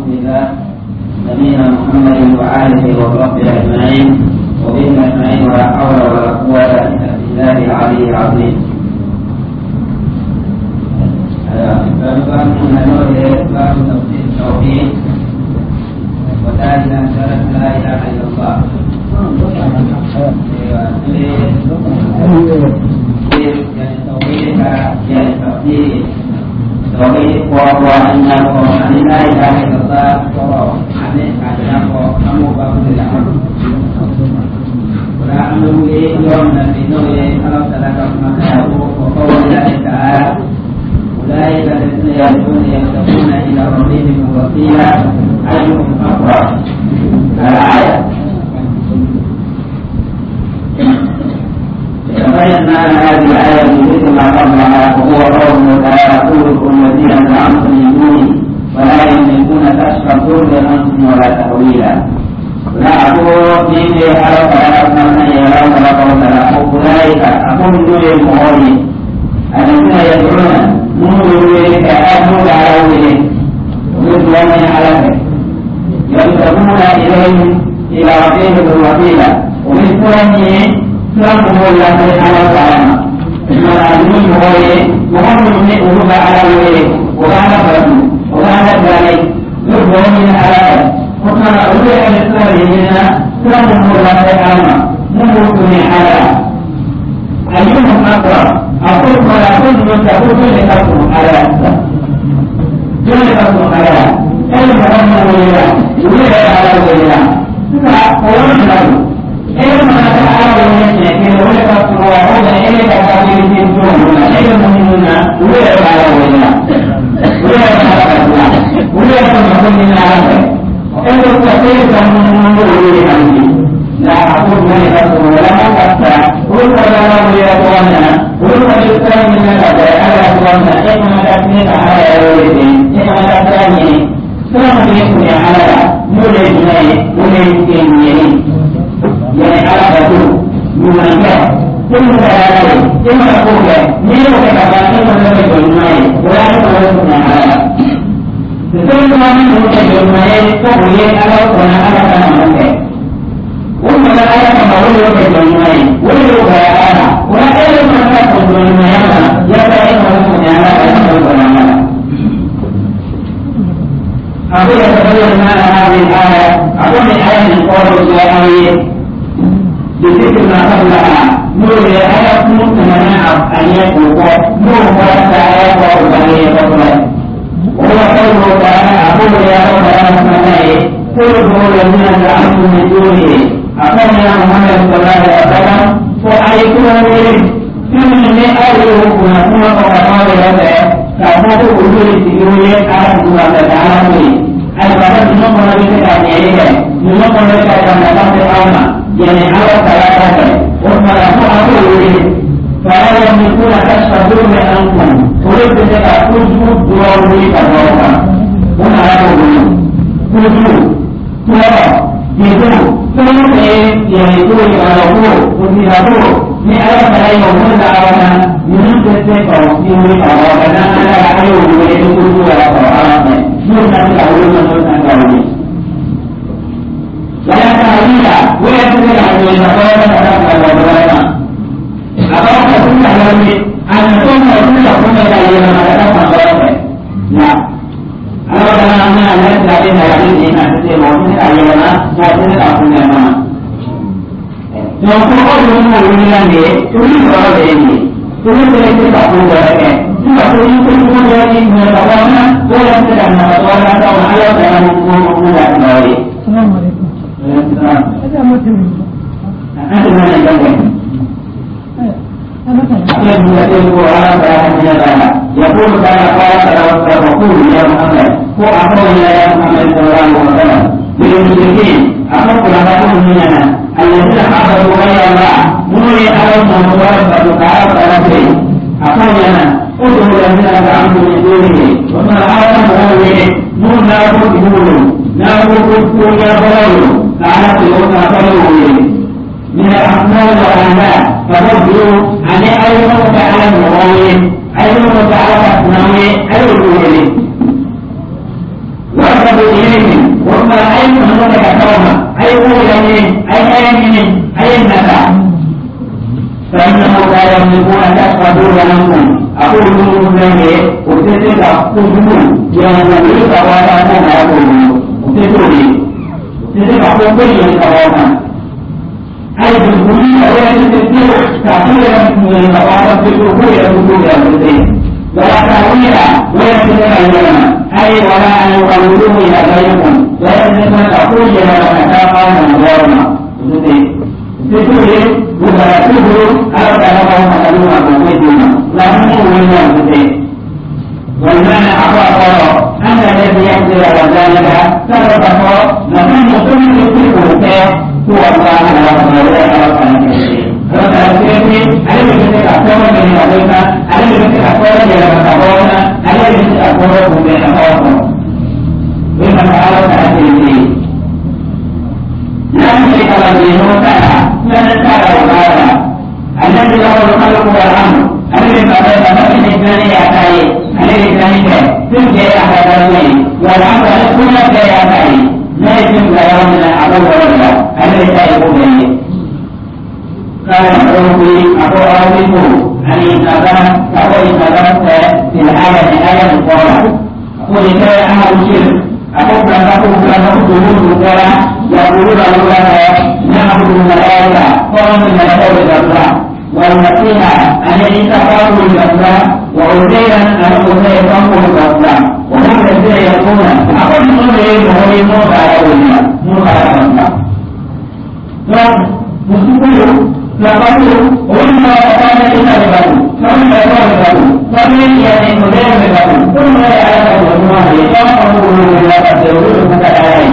رسول الله نبينا محمد وآله وصحبه أجمعين وبه أجمعين، ولا حول ولا قوة إلا بالله العلي العظيم. باب التوحيد وذلك شرف لا إله إلا الله. يعني توحيد، يعني تفسير توحيد، وهو أنه أن لا إله إلا الله، أن أنه أمر بالله ولا أمر يوم وقول الله تعالى: أولئك الذين يدعون يبتغون إلى ربهم الوسيلة أيهم أقرب. الآية. تبين معنى هذه الآية بذكر ما قبلها، وهو قوله تعالى: قل الذين زعمتم من دونه ولا يملكون كشف الضر عنكم ولا تحويلا. لا أقول من أردت أن يرون أولئك أقول دون المغني الذين يدعون منذ كأهل على ومثل على يبتغون إليهم إلى ربهم الوسيلة، ومن سلمه الله على السلامة المعلوم هو وهم من على وجهه وكان فرده وكان ذلك يقبل من على وكان أولئك الإسلام سلمه الله تعالى نموت من على أيهم أقرب. أقول ولا كل من تقول لتكن على لتكن على أي مهم ولا ولا على ولا تسعة قولنا يعني على بطول يمنع ثم تعالى ثم تقول من وكتبان ثم تقول ولا تقول على ثم من وكتبان تقول على وأنا على كما وما على كما هو وكتبان ولا على ولا ما تقول ما يا يا أقول يتبين معنى هذه الآية، أقول الآية من قول الله بذكر ما قبلها نور الآية منع أن يكون نور آية وقبلها، وهو قوله تعالى: أقول يا رب أنا قل هو الذين زعمتم من دونه. أقول يا محمد صلى الله عليه وسلم فأيكم من أيه كنا وقال كما تقول لي على الله تعالى البلد نقول لك نقول لك يعني على ثلاثة وما أقول فلا يملكون كشف الضر عنكم ولد لك كل ضروري كذلك وما يقولون كل ترى يقول ثم يعني يقول يقول وفيها من ألف لا يوم دعونا من تسيق وفيه أولا أنا أعلم ويقول ولا قرآن من تقول ولا تعليل ولا تدل عن المقالة ولا أبغى كل أن تكون كل كل كلمة ما لا أنا أنا أنا لا أدري ما تسمع ما تسمع ما تسمع ما تقول من من كل هذا كل ذلك تقول ذلك تقول كل ذلك من تقوانا ولا تدعنا تقوانا وعلى السلام عليكم. هذا متن. أنت من يقول تعالى: قال وقول يا محمد هو أقول يا محمد صلى الله عليه وسلم للمشركين أقول لهم مننا الذين عبدوا غير الله نوري أرض مباركة تعالى أقول لنا ادعوا الذين زعمتم من دونه وما أعلم هو نور ناقل ناقل يا بلول تعالى من الأحمال والأعمال فردوا عن أيضا تعالى المغاوين أيضا تعالى الأسناوي أيضا وردوا إليه وما أي من كتوما أي قول أي أي أي النفع فإنه لا يملكون كشف ضركم أقول لكم وتلك قلوب يملك ولا يقولون وتقولي وتلك قلوب أي بالكلية ولا تستطيع تعطيل من المواقف بالكلية ولا تأويل ولا تتكلم أي ولا أن يقولوه إلى غيركم ولا تستطيع تقول إلى مكان من غيرنا تقول ولا تقول أو تلقوا مثلوها بوجودنا لا هم والمعنى أعطى أن الذي يقدر على ذلك سبب مكان كل يصيبه هو الله ورسوله. الذي له الخلق والامر الذي لا يتم يومنا عدو ولا الذي لا يقوم. قال العربي أبو عربي عن إنسان أقول إنسان في العالم آية القرآن أقول إنسان أهل الشرك أقول أنه أنه دخول يقولون الله نعبد الملائكة قوم الملائكة الله والمسيح أن يتقرب الله وعزيرا أن عزير الله وهم الذين يقولون أقول قوله موسى على الله موسى على الله. Lalu, orang kata kita berbatu, kami berbatu, kami yang modern berbatu, pun mereka ada semua ni, kalau kamu belum berlaku, belum buka lain.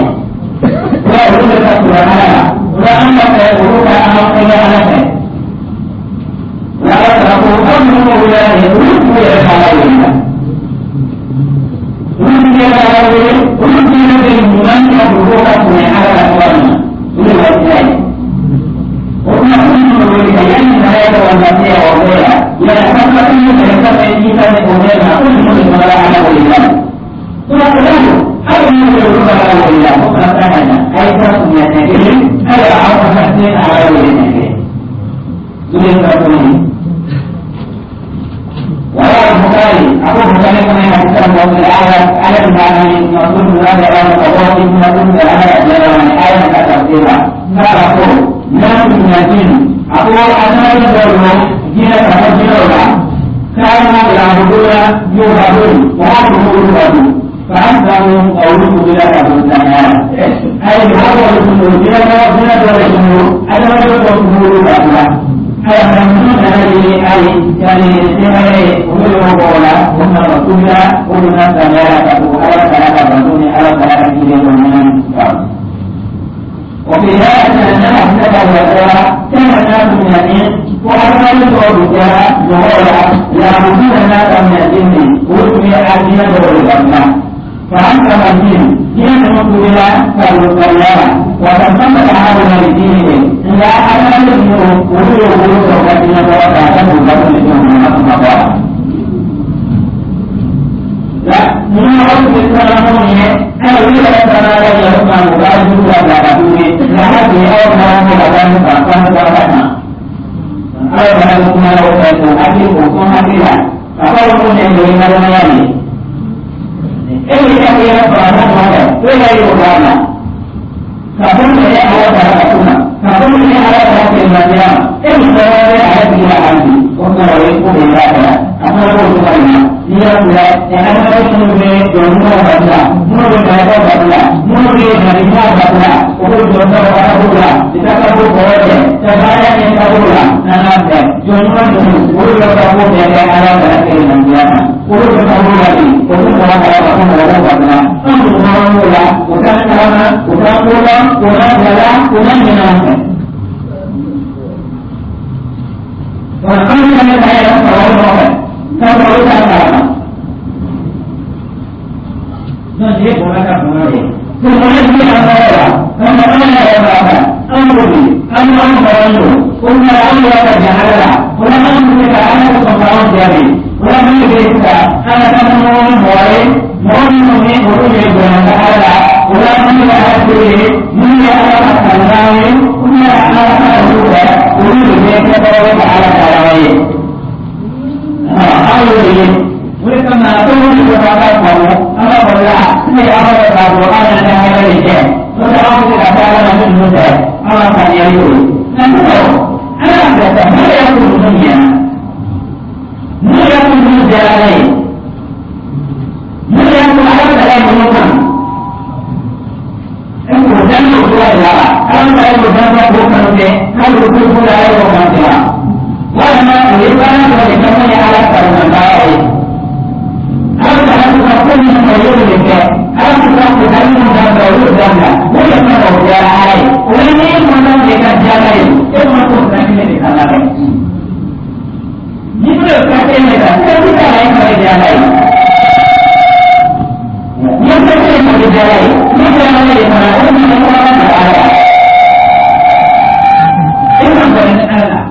Kalau belum berlaku, sudah anda saya buka anak saya anak saya. Lalu aku kamu boleh ini, boleh salah ini. Boleh salah ini, boleh ini, mana buka punya ada orang, boleh lain. An bɛ k'a fɔ an yɛrɛ ka hɛrɛ de kɛ, n'o tɛ anw bɛ se ka taa Ala la ni ninnu tɛ, an ka faamuyali y'o ye. Nka sisan Ala y'a bila sa, ne yɛrɛ ko ninnu ɲɛna, ne yɛrɛ ko ninnu diyara Ala ye, ne yɛrɛ ko Ala bɛ ka ninnu kan. E k'o dan o cogoya de la wa? Ala bɛ ka o dan k'o kanu kɛ, hali o ko ko la Ala y'o kanu kɛ wa? Walima o ye baara dɔ de kɛ mun ye Ala sagonan baara ye. Ala bɛ ka ko ka ko min fɔ, o y'o de kɛ. Ala bɛ ka ko ka min dabila, o y'o dabila. O de fana o diyara Ala ye. O ye ni e mɔnna de ka diya Ala ye, e ma ko sira kelen de ka labɛn. Ni ko ye sira kelen de ta, sira tɛ la e ma diya Ala ye. Ni sira kelen ma diya Ala ye, ni diyara Ala ye fana, o de bɛ kɛ ka Ala la. E ma bɔra ni Ala la.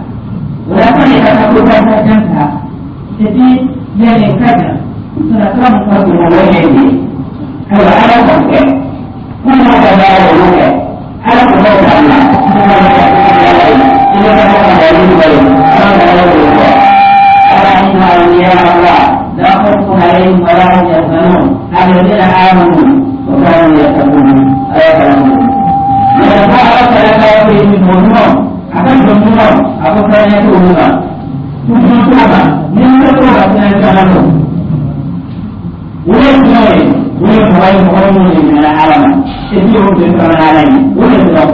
O la kan ka taa ko ka taa ta. Et puis, yani kaja suna samun farko na wannan ne. Ayiwa, Ala k'o kɛ. Kuma da ba da olu kɛ. Ala k'o bɛ ta la. Kuma da ka Ala ye. I bɛ ka ka wali wali. Ala ka wali kɔ. Ala inna awliya Allah la khawfun alayhim wa la hum yahzanun alladhina amanu wa kanu yattaqun. Ala kalamu. Mɛ ko Ala kɛlɛ ka ko yi mɔgɔ a ka jɔn ɲuman a ko fɛn t'olu ma. Tuntun t'o ma ni n tɛ t'o ma fɛn caman don. O ye jumɛn ye? O ye mɔgɔ ye, mɔgɔ minnu de minɛ Ala ma et puis o de fana Ala ye, o de dɔrɔn.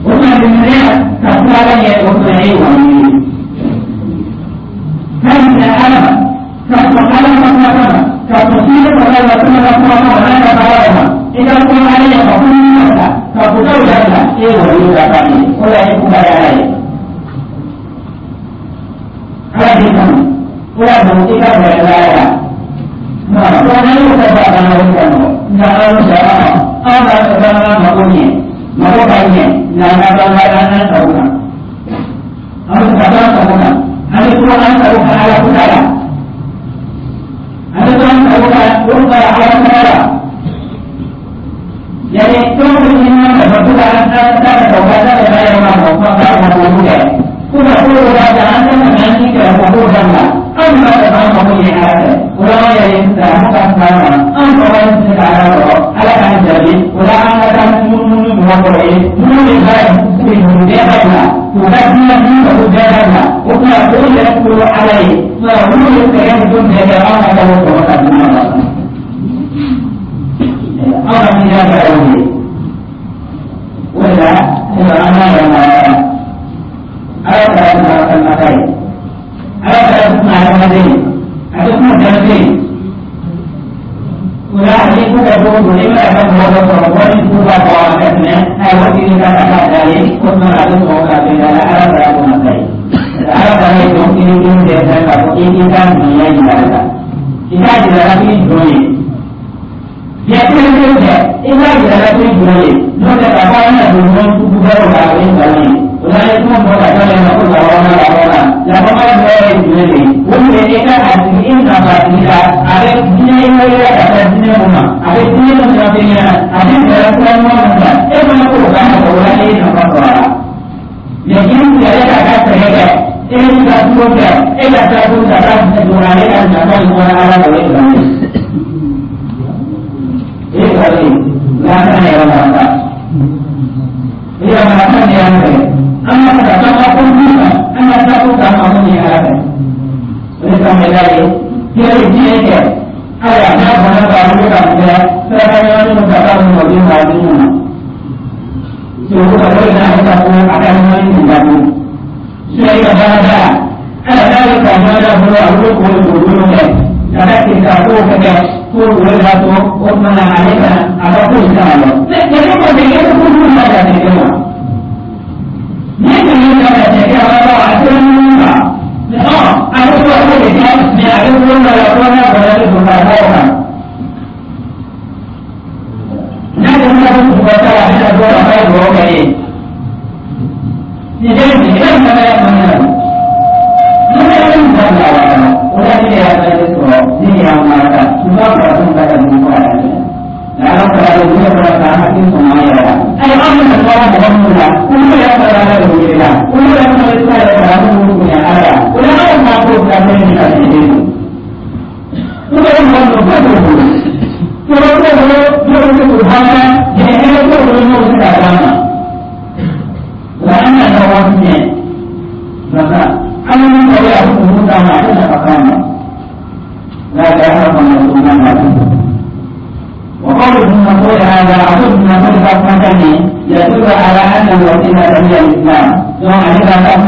O fana bɛ minɛ ka sira Ala ɲɛ, o fana ye wali ye. K'a minɛ Ala ma, ka sɔn Ala ma kuma ma, ka sɔn sini kɔnɔ la kuma ka kuma ma n'a ka baara ma. I ka kuma Ala ye ka kuma ta ka kotaw dabila, e ye wali ye ka ban ye. O la e kuma ye Ala ye. Ala b'i kanu. O y'a dɔn i ka bɛrɛ la la. Nka ko n'an y'o kɛ ba kana o kɔnɔ. Nka an sɔrɔ an b'a fɛ k'an ka mako ɲɛ. Mako ka ɲɛ nka an ka ban an sago kan. An bɛ ka an sago kan. An bɛ to an sago kan Ala ko ta la. An bɛ to an sago kan o ka Ala ko ta la. Yani fɛn o fɛn ɲini an fɛ ko ka an ta ka ka ka ta ka yɛlɛma ma ko ka mako kɛ. Ko ka ko dɔ b'a an tɛ ka an ni kɛlɛ ko k'o dabila. Anw b'a fɛ k'an mako ɲɛ Ala fɛ. O la an yɛrɛ ye sisan an ka sira ma. Anw tɔgɔ ye se ka Ala sɔrɔ. Ala k'an jaabi. O la an ka taa munumunu mɔgɔ kɔrɔ ye. Minnu bɛ baara ninnu bɛɛ dabila. K'u ka diinɛ ni mako bɛɛ dabila. O tuma o yɛrɛ kolo Ala ye. Nka olu bɛ sɛgɛn ninnu bɛɛ kɛ, anw ka taa o sɔrɔ ka di ma. Anw ka miiriya kɛra o ye. O de la, ayiwa, an b'a yɛlɛma Ala kɛra kuma kalimata ye. Ala kɛra kuma adamaden ye. A tɛ kuma denmisɛn ye. O la ni ko kɛ cogo o cogo, i mana kɛ mɔgɔ dɔ sɔrɔ, mɔgɔ min ko ka bɔ a ka tɛmɛ, ayiwa, i ka ka taa da ye, o tuma a bɛ sɔrɔ ka bɛn da la Ala kɛra kuma ta ye. Ala kɛra ye jɔn kelen kelen bɛɛ fɛ k'a fɔ i ka ɲumanya yira la. I k'a jira la k'i jɔn ye. Biɲɛ kelen kelen tɛ, i k'a jira la k'i jɔn ye. N'o tɛ k'a fɔ an bɛna don ɲɔgɔn sugu wɛrɛw la, o ye nkalon ye. O la an ye kuma bɔ ka taa ma ko labɔma labɔma. Labɔma dɔ ye jumɛn de ye? O de ye e ka a tigi i nafa a tigi la, a bɛ diinɛ i wele ka taa diinɛ mun ma, a bɛ diinɛ mun ɲɛfɛ ɲɛna, a bɛ fɛɛrɛ sira ɲuman mun kan, e fana k'o k'a ma, o la e ye nafa sɔrɔ a la. Mɛ k'i yɛrɛ ka ka sɛgɛn kɛ, e b'i ka turo kɛ, e ka taa ko ka taa don ale ka nafa in kɔnɔ Ala la, o ye nkalon ye. O ye nkalon ye. Nka an kana yɛrɛ mara sa. I yɛrɛ mara kan de y'an fɛ. An ka ka taa ka ko kan, an ka taa ko k'an mako ɲɛ Ala fɛ. O de kama i b'a ye, kira ye diɲɛ kɛ. Ayiwa, n'a bɔnna ka wuli ka mun kɛ, saraka ɲagami ka taa mun di maa minnu ma. Segu ka dɔ n'a ka ko a ka ɲɔgɔn nin datugu. Sira i ka baara da. Ala n'a ye ka ɲɔgɔn da bolo, a bolo k'o bolo kɛ. Ka da kiri ka kow kɛ ko o de b'a to o tuma na ale kana a ka ko in kana lɔ. Ne ko ten, e ko ko ma da tɛ kɛ wa? Ni tun ye ka tɛ kɛ wa, a tɛ mun ma. Ɔ a bɛ ko ko de kɛ, mɛ a bɛ ko dɔ la ko n'a bɔra ne don ka bɔ o kan. N'a ko n'a ko ko ta la, a bɛna bɔ ka fɔ ye dugawu kɛ ye. Nin bɛ nin bɛ nin bɛ mun na? Ni bɛ nin dabila wa kɔnɔ, o la ne y'a bɛɛ sɔrɔ, ne y'a mara ka tuba farafin ka ka dugu kɔrɔ yan. Nka ala fara de ne fara ka an hakili sɔn an yɛrɛ la. Ayiwa, an bɛna tɔɔrɔ mɔgɔ minnu la, olu yɛrɛ fara ala de wele la, olu yɛrɛ fana bɛ sira yɛrɛ fara minnu bonya Ala la. O la anw ma ko ka fɛn min ka tɛmɛ den. Olu bɛ mɔgɔ minnu ba t'o bolo. Tɔɔrɔ t'o bolo n'o bɛ se k'o barika, hɛrɛ t'o bolo n'o bɛ se k'a d'a ma. Wa an y'a ka waati ɲɛ. Masa, an bɛ min fɔ a bɛ kun d'a ma, a tɛ nafa k'a ma. لا يعرف أن يكون. وقول ابن مسعود هذا، أقول ابن مسعود مثلا، يدل على أن الوسيلة هي الإسلام. ثم إذا أن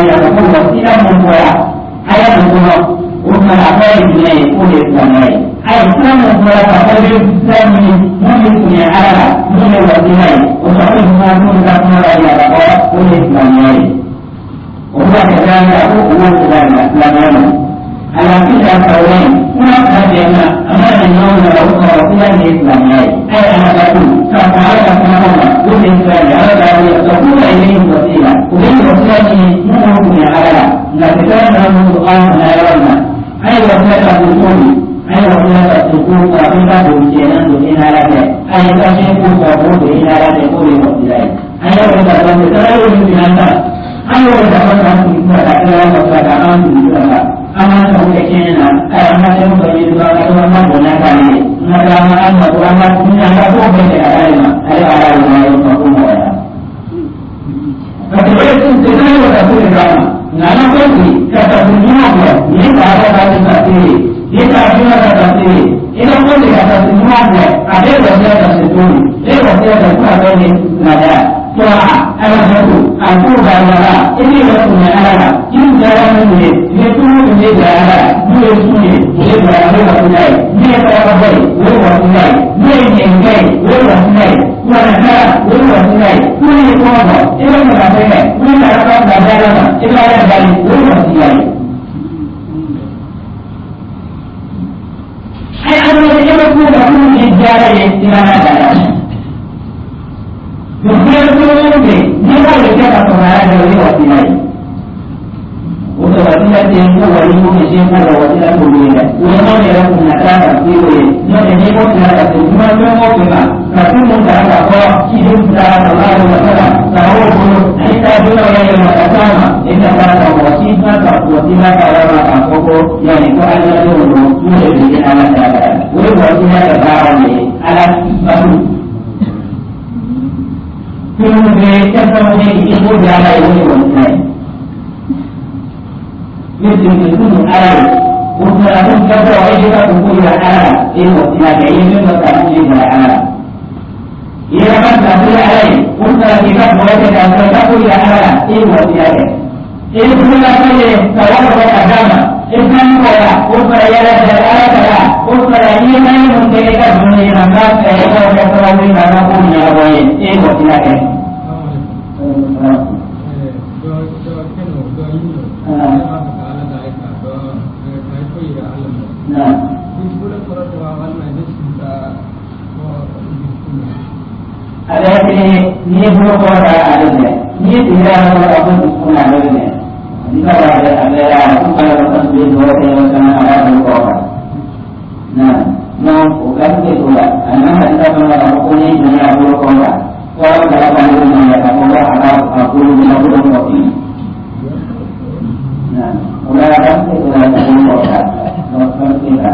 يقول وسيلة من آية الكفر ومن العقائد من يكون الإسلام، أي الإسلام هو فقد الإسلام من على من الوسيلة، وصحيح ما من كما يقول الإسلام، وهو كذلك، هو كذلك الإسلام على كلا القولين. هناك أمام النوم له وسيلة الإسلامية، أي أنا بقول فعلى كما والإنسان هذا تكون إليه وسيلة، وإن وسيلة ممكن على نتكلم عن القرآن لا يرون أي وسيلة الدخول، أي وسيلة الدخول فقيمة بمجينا دون على أي تشيء فقط إلى لا تكون وسيلة، أي وسيلة، أي وسيلة an ka sago kɛ tiɲɛ na, ayi, an ka fɛn dɔ ɲini dɔrɔn ka to an ka bonya k'ale ye, an ka an ka mako, an ka an ka ko bɛɛ kɛ ka d'ale ma, ale b'a la ye ma ko nɔgɔya. Parce que o ye c'est ça, o ka ko de kama nka an ka ko bi ka tafsir ɲuman kɛ, nin ye ka ala ka tafsir ye, nin ye ka juma ka tafsir ye, i ka ko de ka tafsir ɲuman kɛ, a bɛ wasiya ka se to ye, e wasiya ka ko a bɛ ni silamɛya طاعة على الرسول القرب على الله إني رسول على إن جاء من يكون من على من يسوني ويبقى على رسول الله من يتربي ويبقى الله من ينجي ويبقى الله ونكا ويبقى الله من يتوضا إلى المدافع من يتربى بدالنا إلى يدعي ويبقى الله. أي أن يكون لكم إجارة إلى Dunia itu ni boleh kita pengarah dari wasilah. Untuk wasilah yang wali mungkin siapa wasilah boleh. Ulama yang mengatakan ini, yang ini pun tidak ada cuma cuma cuma. Tapi mungkin apa hidup dalam Allah Taala. Tahu pun kita juga yang sama. Ini adalah wasilah wasilah kalau apa yang itu adalah dulu boleh di alam Taala. Boleh wasilah terbaru alam baru. Kemudian kemudian ibu berada di wasilah. Itu itu ada. Untuk aku kata orang juga kumpul di ada. Ini wasilah ini memang di ada. Ia kan tak boleh ada. Untuk kita boleh kita tak boleh ada. Ini wasilah. Ini pula saja kalau kita agama. Islam kola, untuk ia ada ada. Untuk ini kan mungkin kita dunia nama saya kalau kita tahu nama punya apa ini wasilah. Ada ini ni belum ada adanya. Ni tidak ada apa pun adanya. Jika ada ada aku kalau orang beli dua yang sama ada dua. Nah, no bukan itu lah. Anak kita kalau aku ni punya dua orang. Orang dalam kandungan yang aku ada aku punya dua orang. Nah, orang ada itu lah dua orang. No, tidak.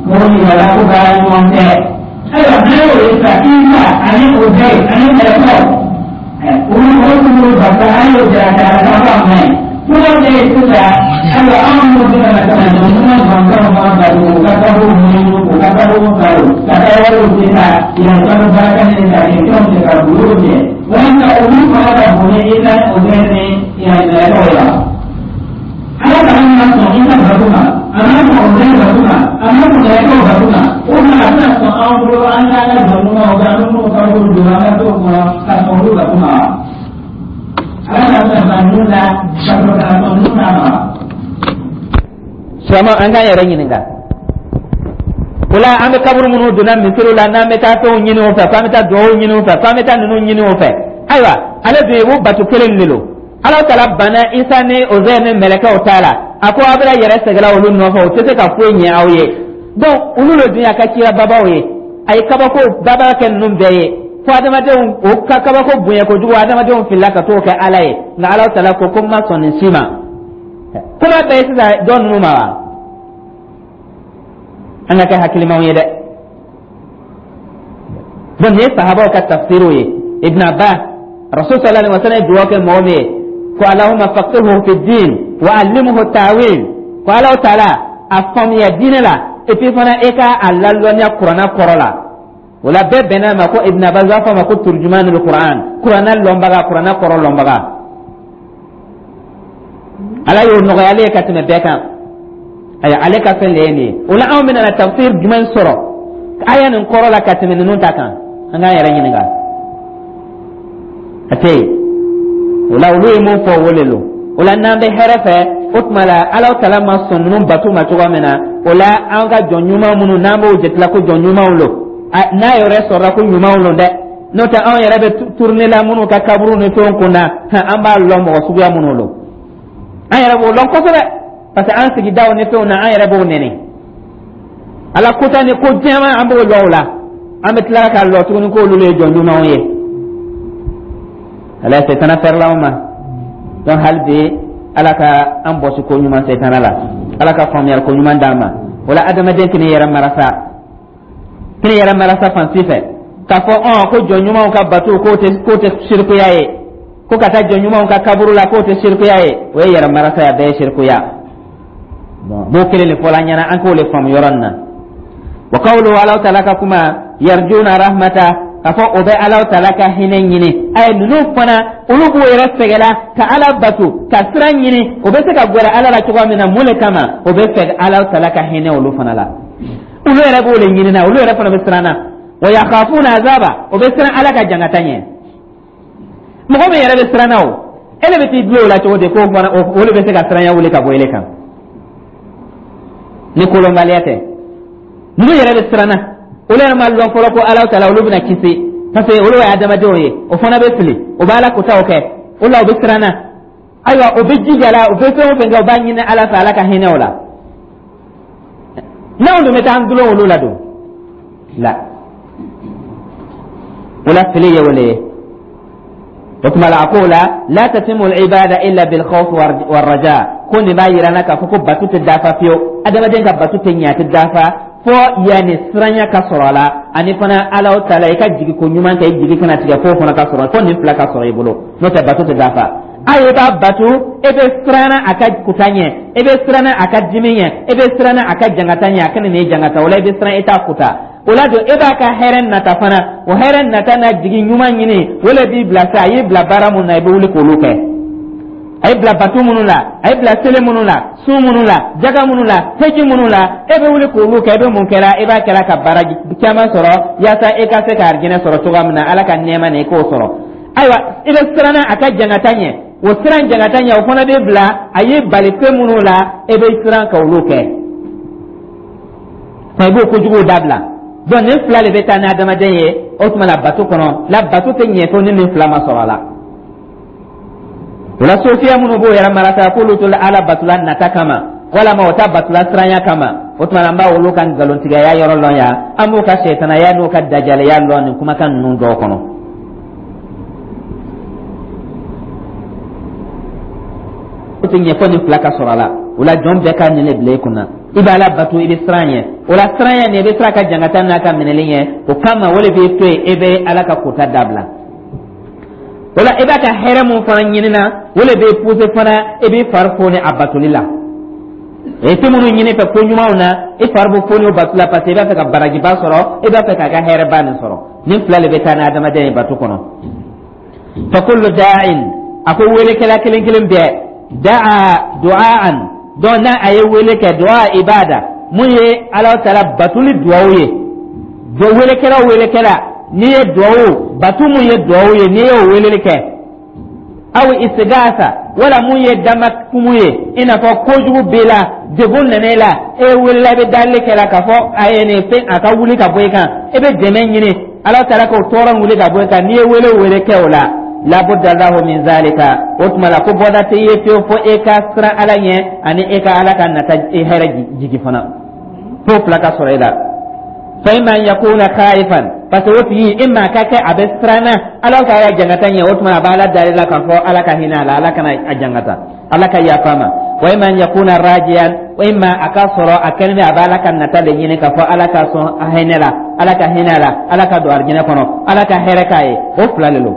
Mɔgɔ min yɛrɛ ko baara ɲuman tɛ. Ayiwa, n'an y'o ye sisan, Isa ani Ozɛyi ani mɛlɛkɛw, olu mɔgɔ minnu b'o bato, an y'o jira k'a ka fɔ a ma ɲi. Kuma bɛɛ ye sisan, ayiwa, anw minnu bɛ ka na ka na jamana gansanw fana bato, u ka kaburu ɲini, u ka kaburu balo, ka taa wariw di ka yɛrɛ baraka ɲini ka kɛ fɛnw kɛ ka bolo jɛ, walasa olu fana ka bon ni Isa ni Ozɛyi ni mɛlɛkɛw ye wa? Ala ka an ma sɔn Isa bato ma, a ma sɔn Ozɛyi bato ma, a ma sɔn mɛlɛkɛw bato ma, o tuma a tɛna sɔn anw bolo an k'an ka jɔn ɲumanw kɛ, an bɛ minnu kaburu don, an ka t'o kɔnɔ ka sɔn olu bato ma wa? Ala ka sɔn ka ninnu la ka sɔrɔ ka sɔn ninnu ta ma. Silamɛ, an k'an yɛrɛ ɲininka o la. An bɛ kaburu minnu donna misiriw la, n'an bɛ taa fɛnw ɲini o fɛ, k'an bɛ taa duwawu ɲini o fɛ, k'an bɛ taa ninnu ɲini o fɛ, ayiwa, ale dun ye o bato kelen de don. Ala taala banna Isa ni Ozɛri ni mɛlɛkɛw ta la. A ko aw bɛna yɛrɛ sɛgɛla olu nɔfɛ, o tɛ se ka foyi ɲɛ aw ye. Donc olu le dun y'a ka kira babaw ye. A ye kabako baba kɛ ninnu bɛɛ ye, fo adamadenw o ka kabako bonya kojugu, adamadenw filila ka t'o kɛ Ala ye. Nka Ala taala ko ko n ma sɔn nin si ma. Kuma bɛɛ ye sisan dɔ ninnu ma wa? An ka kɛ hakilimaw ye dɛ. Donc nin ye sahabaw ka tafsiriw ye. Ibn Abbas, Rasul sallallahu alaihi wasallam ye dugawu kɛ mɔgɔ min ye ko Allahumma faqihuhu fi din wa allimhu ta'wil, ko Ala taala a faamuya diinɛ la, et puis fana e ka a lalɔnniya kuranna kɔrɔ la. O la bɛɛ bɛnna ma ko Ibn Abbas b'a fɔ a ma ko turjumanul Quran, kuranna lɔnbaga, kuranna kɔrɔ lɔnbaga. Ala y'o nɔgɔya ale ye ka tɛmɛ bɛɛ kan. Ayiwa, ale ka fɛn de ye nin ye. O la anw bɛna na tafsir jumɛn sɔrɔ aya nin kɔrɔ la ka tɛmɛ ninnu ta kan? An k'an yɛrɛ ɲininka, a tɛ yen. O la olu ye mun fɔ, o de don. O la n'an bɛ hɛrɛ fɛ, o tuma la Ala taala ma sɔn ninnu bato ma cogoya min na, o la an ka jɔn ɲuman minnu n'an b'o jatela ko jɔn ɲumanw don, n'a yɛrɛ sɔrɔla ko ɲumanw don dɛ, n'o tɛ anw yɛrɛ bɛ tourner la minnu ka kaburu ni fɛnw kunna, an b'a lɔn mɔgɔ suguya minnu don. An yɛrɛ b'o lɔn kosɛbɛ, parce que an sigidaw ni fɛnw na, an yɛrɛ b'o nɛni. Ala kota ni ko jɛman, an b'o lɔn o la. An bɛ tila k'a lɔ tuguni k'olu le ye jɔn ɲumanw ye. Ala setana fɛrɛla anw ma. Donc hali bi, Ala ka an bɔsi ko ɲuman setana la, Ala ka faamuyali ko ɲuman d'an ma. O la adamaden k'i yɛrɛ marasa, k'i yɛrɛ marasa fan si fɛ k'a fɔ ɔn ko jɔn ɲumanw ka bato k'o tɛ sirikuya ye, ko ka taa jɔn ɲumanw ka kaburu la k'o tɛ sirikuya ye, o ye yɛrɛ marasa ye, a bɛɛ ye sirikuya. Bon, b'o kelen de fɔla an ɲɛna, an k'o le faamu yɔrɔ nin na. Wa qawluhu, Ala taala ka kuma, yarjuna rahmata, k'a fɔ o bɛ Ala taala ka hinɛ ɲini. Ayi, ninnu fana, olu b'u yɛrɛ sɛgɛla ka Ala bato, ka sira ɲini o bɛ se ka gɛrɛ Ala la cogoya min na. Mun le kama? O bɛ fɛ Ala taala ka hinɛ olu fana la. Olu yɛrɛ b'o le ɲini na, olu yɛrɛ fana bɛ siran na. Wa yakhafuna azaba, o bɛ siran Ala ka jangata ɲɛ. Mɔgɔ min yɛrɛ bɛ siran na, o e de bɛ t'i dulon o la cogo di k'o fana o de bɛ se ka siranya wuli ka bɔ ele kan ni kolonbaliya tɛ? Ninnu yɛrɛ bɛ siran na, olu yɛrɛ ma lɔn fɔlɔ ko Ala taala olu bɛna kisi, parce que olu ye adamadenw ye, o fana bɛ fili, o bɛ Ala kotaw kɛ. O la o bɛ siran na. Ayiwa, o bɛ jija la, o bɛ fɛn o fɛn kɛ, o b'a ɲini Ala fɛ, Ala ka hinɛ o la. N'anw dun bɛ taa an dulon olu la don la, o la fili ye o le ye. O tuma la a ko la la tatimu al-ibada illa bil khawf war raja, ko nin b'a yira n na k'a fɔ ko bato tɛ dafa fiyewu. Adamaden ka bato tɛ ɲɛ, a tɛ dafa fo yanni siranya ka sɔrɔ a la, ani fana Ala taala i ka jigi ko ɲuman kɛ, i jigi kana tigɛ, f'o fana ka sɔrɔ, fo nin fila ka sɔrɔ i bolo, n'o tɛ bato tɛ dafa. A ye b'a bato, e bɛ siran a ka kuta ɲɛ, e bɛ siran a ka dimi ɲɛ, e bɛ siran a ka jangata ɲɛ, a kana n'i jangata. O la i bɛ siran, i t'a kuta. O la don e b'a ka hɛrɛ nata fana, o hɛrɛ nata n'a jigi ɲuman ɲini, o le b'i bila sa. A y'i bila baara mun na, i bɛ wuli k'olu kɛ. A ye bila bato minnu la, a ye bila seli minnu la, sun minnu la, jaga minnu la, heji minnu la, e bɛ wuli k'olu kɛ. E bɛ mun kɛra? E b'a kɛra ka baara caman sɔrɔ yaasa e ka se ka arijinɛ sɔrɔ cogoya min na, Ala ka nɛɛma nin, i k'o sɔrɔ. Ayiwa, i bɛ siran a ka jangata ɲɛ, o siran jangata ɲɛ, o fana bɛ bila a y'i bali fɛn minnu la, e bɛ siran ka olu kɛ, i b'o kojuguw dabila. Donc nin fila de bɛ taa ni adamaden ye. O tuma la bato kɔnɔ la, bato tɛ ɲɛ fo ni nin fila ma sɔrɔ a la. O la sofiya minnu b'o yɛrɛ marasa k'olu to Ala batula nata kama, walama o ta batula siranya kama, o tuma an b'a olu ka nkalontigɛya yɔrɔ lɔn yan, an b'o ka sɛtanaya n'o ka dajalaya lɔn nin kumakan ninnu dɔw kɔnɔ. O tɛ ɲɛ fo nin fila ka sɔrɔ a la. O la jɔn bɛɛ ka nin de bila i kunna. I b'ala bato, i bɛ siran ɲɛ. O la, siran ɲɛ nin, i bɛ siran ka jangata n'a ka minɛli ɲɛ. O kama, o de b'i to yen, e bɛ Ala ka kota dabila. O la, i b'a ka hɛrɛ mun fana ɲinina, o de b'i pousser fana, i b'i fari foni a batoli la. I tɛ minnu ɲini fɛ ko ɲumanw na, i fari bɛ foni o bato la, parce que i b'a fɛ ka barajiba sɔrɔ, i b'a fɛ k'a ka hɛrɛba nin sɔrɔ. Nin fila de bɛ taa ni adamadenya ye bato kɔnɔ. Fa kullu da'in, a ko welekɛla kelen kelen bɛɛ, da'a du'aan, donc n'a a ye wele kɛ, du'a ibada, mun ye Ala taala batoli duwawu ye. Do welekɛla o welekɛla, n'i ye duwawu batu mun ye duwawu ye, n'i y'o weleli kɛ, aw istigasa, wala mun ye damakumu ye, i n'a fɔ kojugu b'i la, degun nana i la, e welela, i bɛ dalili kɛ la k'a fɔ a ye nin fɛn, a ka wuli ka bɔ i kan, i bɛ dɛmɛ ɲini Ala taala k'o tɔɔrɔ wuli ka bɔ i kan. N'i ye wele wele kɛ o la, labudda lahu min zalika, o tuma la ko bɔda tɛ ye fiyewu fo e ka siran Ala ɲɛ ani e ka Ala ka nata e hɛrɛ jigi fana, fo fila ka sɔrɔ e la. Fa imma an yakuna khaifan, parce que o tigi, imma ka kɛ a bɛ siran na Ala ka ya jangata ɲɛ, o tuma a b'a Ala dali la k'a fɔ Ala ka hinɛ a la, Ala kana a jangata, Ala ka yafa a ma. Wa imma an yakuna rajiyan, wa imma a ka sɔrɔ a kɛlen bɛ a bɛ Ala ka nata de ɲini k'a fɔ Ala ka sɔn a hinɛ la, Ala ka hinɛ a la, Ala ka don arijinɛ kɔnɔ, Ala ka hɛrɛ k'a ye. O fila de don.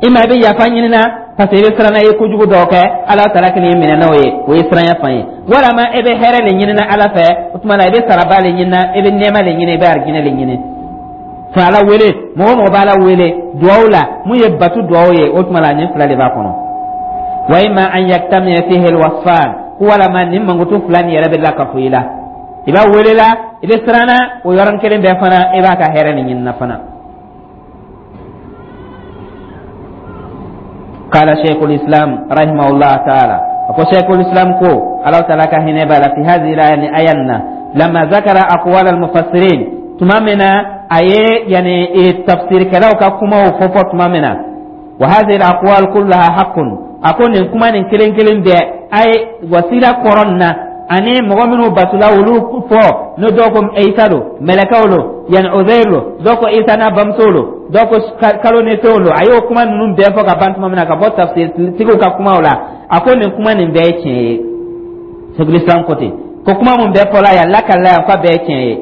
Imma i bɛ yafa ɲini na, parce que i bɛ siran na, i ye kojugu dɔw kɛ, Ala taala k'i minɛ n'o ye, o ye siranya fan ye. Walama e bɛ hɛrɛ de ɲini na Ala fɛ, o tuma na i bɛ saraba de ɲini na, i bɛ nɛɛma de ɲini, i bɛ arijinɛ de ɲini. Fa Ala wele, mɔgɔ o mɔgɔ b'Ala wele duwawu la, mun ye batu duwawu ye, o tuma la nin fila de b'a kɔnɔ. Wa imma an yajtami'a fihi alwasfan, ko walama nin mankutu fila nin yɛrɛ bɛ la ka fo i la, i b'a wele la, i bɛ siran na, o yɔrɔnin kelen bɛɛ fana, i b'a ka hɛrɛ nin ɲini na fana. قال شيخ الإسلام رحمه الله تعالى، أقول شيخ الإسلام كو الله تعالى كهنا بالا في هذه الآية آينا، لما ذكر أقوال المفسرين تمامنا أي يعني التفسير كلاو كما وفوفو تمامنا، وهذه الأقوال كلها حق، أقول إن كما إن كلين كلين بي أي وسيلة قرنا ani mɔgɔ minnu batula olu fɔ n'o dɔw ko Isa lo, mɛlɛkɛw lo, yanni Ozeir lo, dɔw ko Isa n'a bamuso lo, dɔw ko kalo ni fɛnw lo. A y'o kuma ninnu bɛɛ fɔ ka ban tuma min na, ka bɔ tafsirtigiw ka kumaw la, a ko nin kuma nin bɛɛ ye tiɲɛ ye. Sheikhul Islam ko ten ko kuma mun bɛɛ fɔla yan, lakalila yan, k'a bɛɛ ye tiɲɛ ye.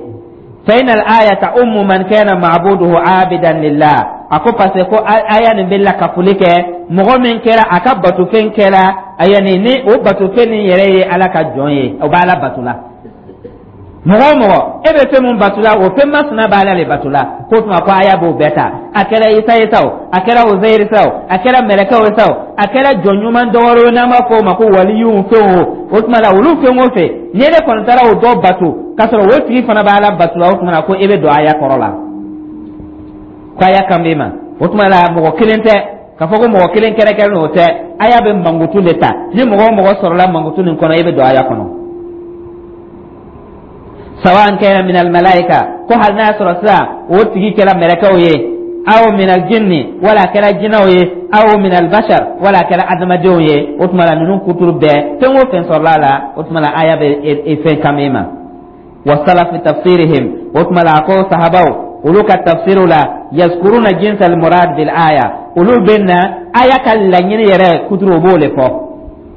فإن الآية تعم من كان معبوده عابدا لله، a ko parce que ko aya nin bɛ lakafoli kɛ mɔgɔ min kɛra a ka batofɛn kɛra yani ni o batofɛn nin yɛrɛ ye Ala ka jɔn ye, o b'Ala bato la. Mɔgɔ o mɔgɔ e bɛ fɛn mun bato la, o fɛn masina b'Ala le bato la. K'o tuma ko aya b'o bɛɛ ta, a kɛra Isa ye sa o, a kɛra Ozeyiri sa o, a kɛra mɛlɛkɛw ye sa o, a kɛra jɔn ɲuman dɔ wɛrɛ n'an b'a fɔ o ma ko waliyuw fɛn o, o tuma la olu fɛn o fɛn, ni e kɔni taara o dɔ bato k'a sɔrɔ o tigi fana b'Ala bato la, o tuma la ko e bɛ don aya kɔrɔ la, ko aya kan b'e ma. O tuma la mɔgɔ kelen tɛ k'a fɔ ko mɔgɔ kelen kɛrɛnkɛrɛn, o tɛ. Aya bɛ mankutu de ta, ni mɔgɔ o mɔgɔ sɔrɔla mankutu nin kɔnɔ, e bɛ don aya kɔnɔ. Sawan kana min almalaika, ko hali n'a sɔrɔ sisan o tigi kɛra mɛlɛkɛw ye, aw min aljinni, wala a kɛra jinɛw ye, aw min albashar, wala a kɛra adamadenw ye, o tuma la ninnu kuturu bɛɛ, fɛn o fɛn sɔrɔla a la, o tuma la aya bɛ e fɛn kan ma. Wa salafi tafsirihim, o tuma la a ko sahabaw olu ka tafsiriw la, yazkuruna jins al murad bil aya, olu bɛ na aya ka laɲini yɛrɛ kuturu, o b'o le fɔ.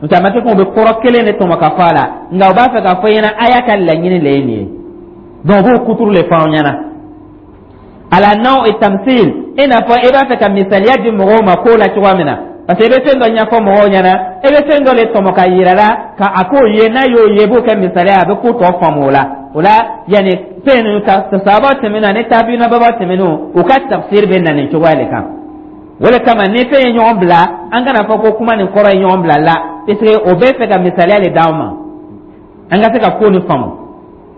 N'o tɛ a ma kɛ ko u bɛ kɔrɔ kelen de tɔmɔ ka fɔ a la, nka u b'a fɛ k'a fɔ i ɲɛna aya ka laɲini le ye nin ye. Donc u b'o kuturu le fɔ aw ɲɛna ala naw tamsil, i n'a fɔ i b'a fɛ ka misaliya di mɔgɔw ma ko la cogoya min na, parce que i bɛ fɛn dɔ ɲɛfɔ mɔgɔw ɲɛna, i bɛ fɛn dɔ de tɔmɔ ka yira la ka a k'o ye, n'a y'o ye, i b'o kɛ misaliya, a bɛ ko tɔ faamu o la. O la yanni fɛn ninnu ta sahaba tɛmɛnenw ani tabiina baba tɛmɛnenw, u ka tafsir bɛ na nin cogoya de kan. O de kama ni fɛn ye ɲɔgɔn bila, an kana fɔ ko kuma nin kɔrɔ ye ɲɔgɔn bila la, puisque o bɛ fɛ ka misaliya de d'anw ma an ka se ka ko nin faamu.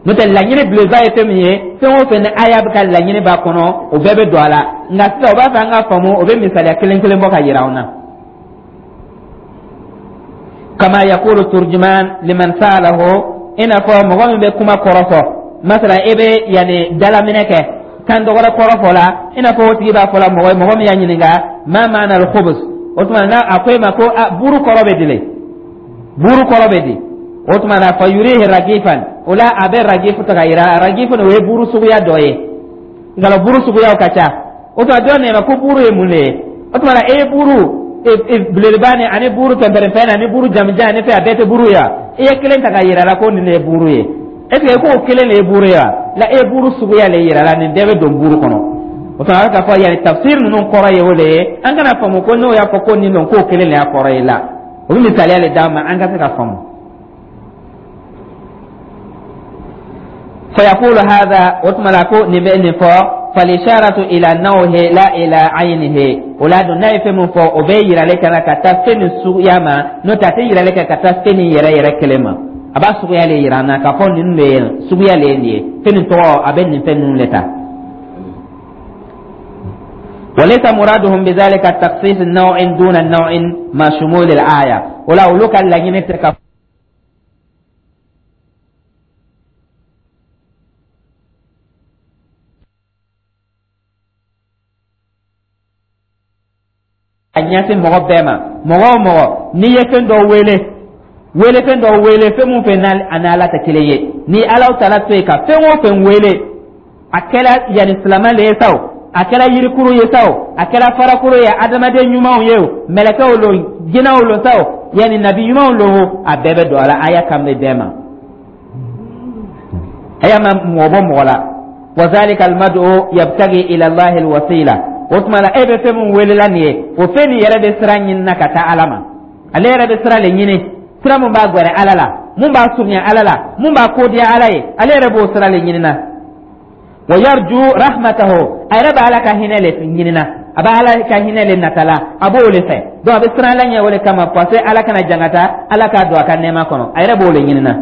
N'o tɛ, laɲini belebeleba ye fɛn min ye, fɛn o fɛn ni aya bɛ ka laɲini b'a kɔnɔ, o bɛɛ bɛ don a la. Nka sisan o b'a fɛ an ka faamu, o bɛ misaliya kelen kelen bɔ ka yira anw na. Kama yakulu turjuman liman sa'alahu, i n'a fɔ mɔgɔ min bɛ kuma kɔrɔ fɔ, masala e bɛ yanni dalaminɛ kɛ kan dɔgɔrɛ kɔrɔ fɔ la, i n'a fɔ o tigi b'a fɔ la mɔgɔ ye, mɔgɔ min y'a ɲininka ma maana al-khubuz, o tuma n'a a ko e ma ko a buru kɔrɔ bɛ di le, buru kɔrɔ bɛ di, o tuma na fa yurihi ragifan, o la a bɛ ragifu ta ka yira. Ragifu o ye buru suguya dɔ ye, nka buru suguyaw ka ca. O tuma dɔ nana ko buru ye mun de ye? O tuma na e ye buru Belebeleba ni ani buru pɛnpɛrɛnpɛn ani buru jamujan ani fɛn, a bɛɛ tɛ buru ye wa? I ye kelen ta ka yira la ko nin de ye buru ye, est ce que k'o kelen de ye buru ye wa? La, e ye buru suguya le yira la, nin bɛɛ bɛ don buru kɔnɔ. O tuma, a bɛ k'a fɔ yanni tafsir ninnu kɔrɔ ye o de ye. An kana faamu ko n'o y'a fɔ ko nin don, k'o kelen de y'a kɔrɔ ye. La, o bɛ misaliya le d'an ma an ka se ka faamu. Fayaqulu hadha, o tuma la ko nin bɛ nin fɔ, falisharatu ila nawhi la ila aynihi. O la dun, n'a ye fɛn min fɔ, o bɛ yirali kɛ na ka taa fɛn nin suguya ma, n'o tɛ a tɛ yirali kɛ ka taa fɛn nin yɛrɛ yɛrɛ kelen ma. A b'a suguya le yira an na k'a fɔ nin de ye suguya le ye nin ye, fɛn nin tɔgɔ a bɛ nin fɛn ninnu le ta. وليس مرادهم بذلك تخصيص نوع دون نوع مع شمول الآية. ولا olu ka laɲini tɛ ka a ɲɛsin mɔgɔ bɛɛ ma. Mɔgɔ o mɔgɔ n'i ye fɛn dɔ wele, wele fɛn dɔ wele, fɛn mun fɛn n'a ni Ala tɛ kelen ye, ni Ala taala to yen ka fɛn o fɛn wele, a kɛra yanni silamɛ le ye sa o, a kɛra yirikuru ye sa o, a kɛra farakuru ye, adamaden ɲumanw ye o, mɛlɛkɛw lo, jinɛw lo sa o, yanni nabi ɲumanw lo o, a bɛɛ bɛ don a la. Aya kan bɛ bɛɛ ma, aya ma mɔgɔ bɔ mɔgɔ la. Wa zalika almad'u yabtagi ila Allahi alwasila. O tuma la, e bɛ fɛn min welela nin ye, o fɛn nin yɛrɛ bɛ sira ɲini na ka taa Ala ma. Ale yɛrɛ bɛ sira le ɲini, sira mun b'a gwɛrɛ Ala la, mun b'a surunya Ala la, mun b'a kodiya Ala ye, ale yɛrɛ b'o sira le ɲini na. Wa yarju rahmatahu, a yɛrɛ bɛ Ala ka hinɛ le ɲini na, a bɛ Ala ka hinɛ le natala, a b'o le fɛ. Donc a bɛ siran Ala ɲɛ o le kama, parce que Ala kana jangata, Ala k'a don a ka nɛɛma kɔnɔ, a yɛrɛ b'o le ɲini na.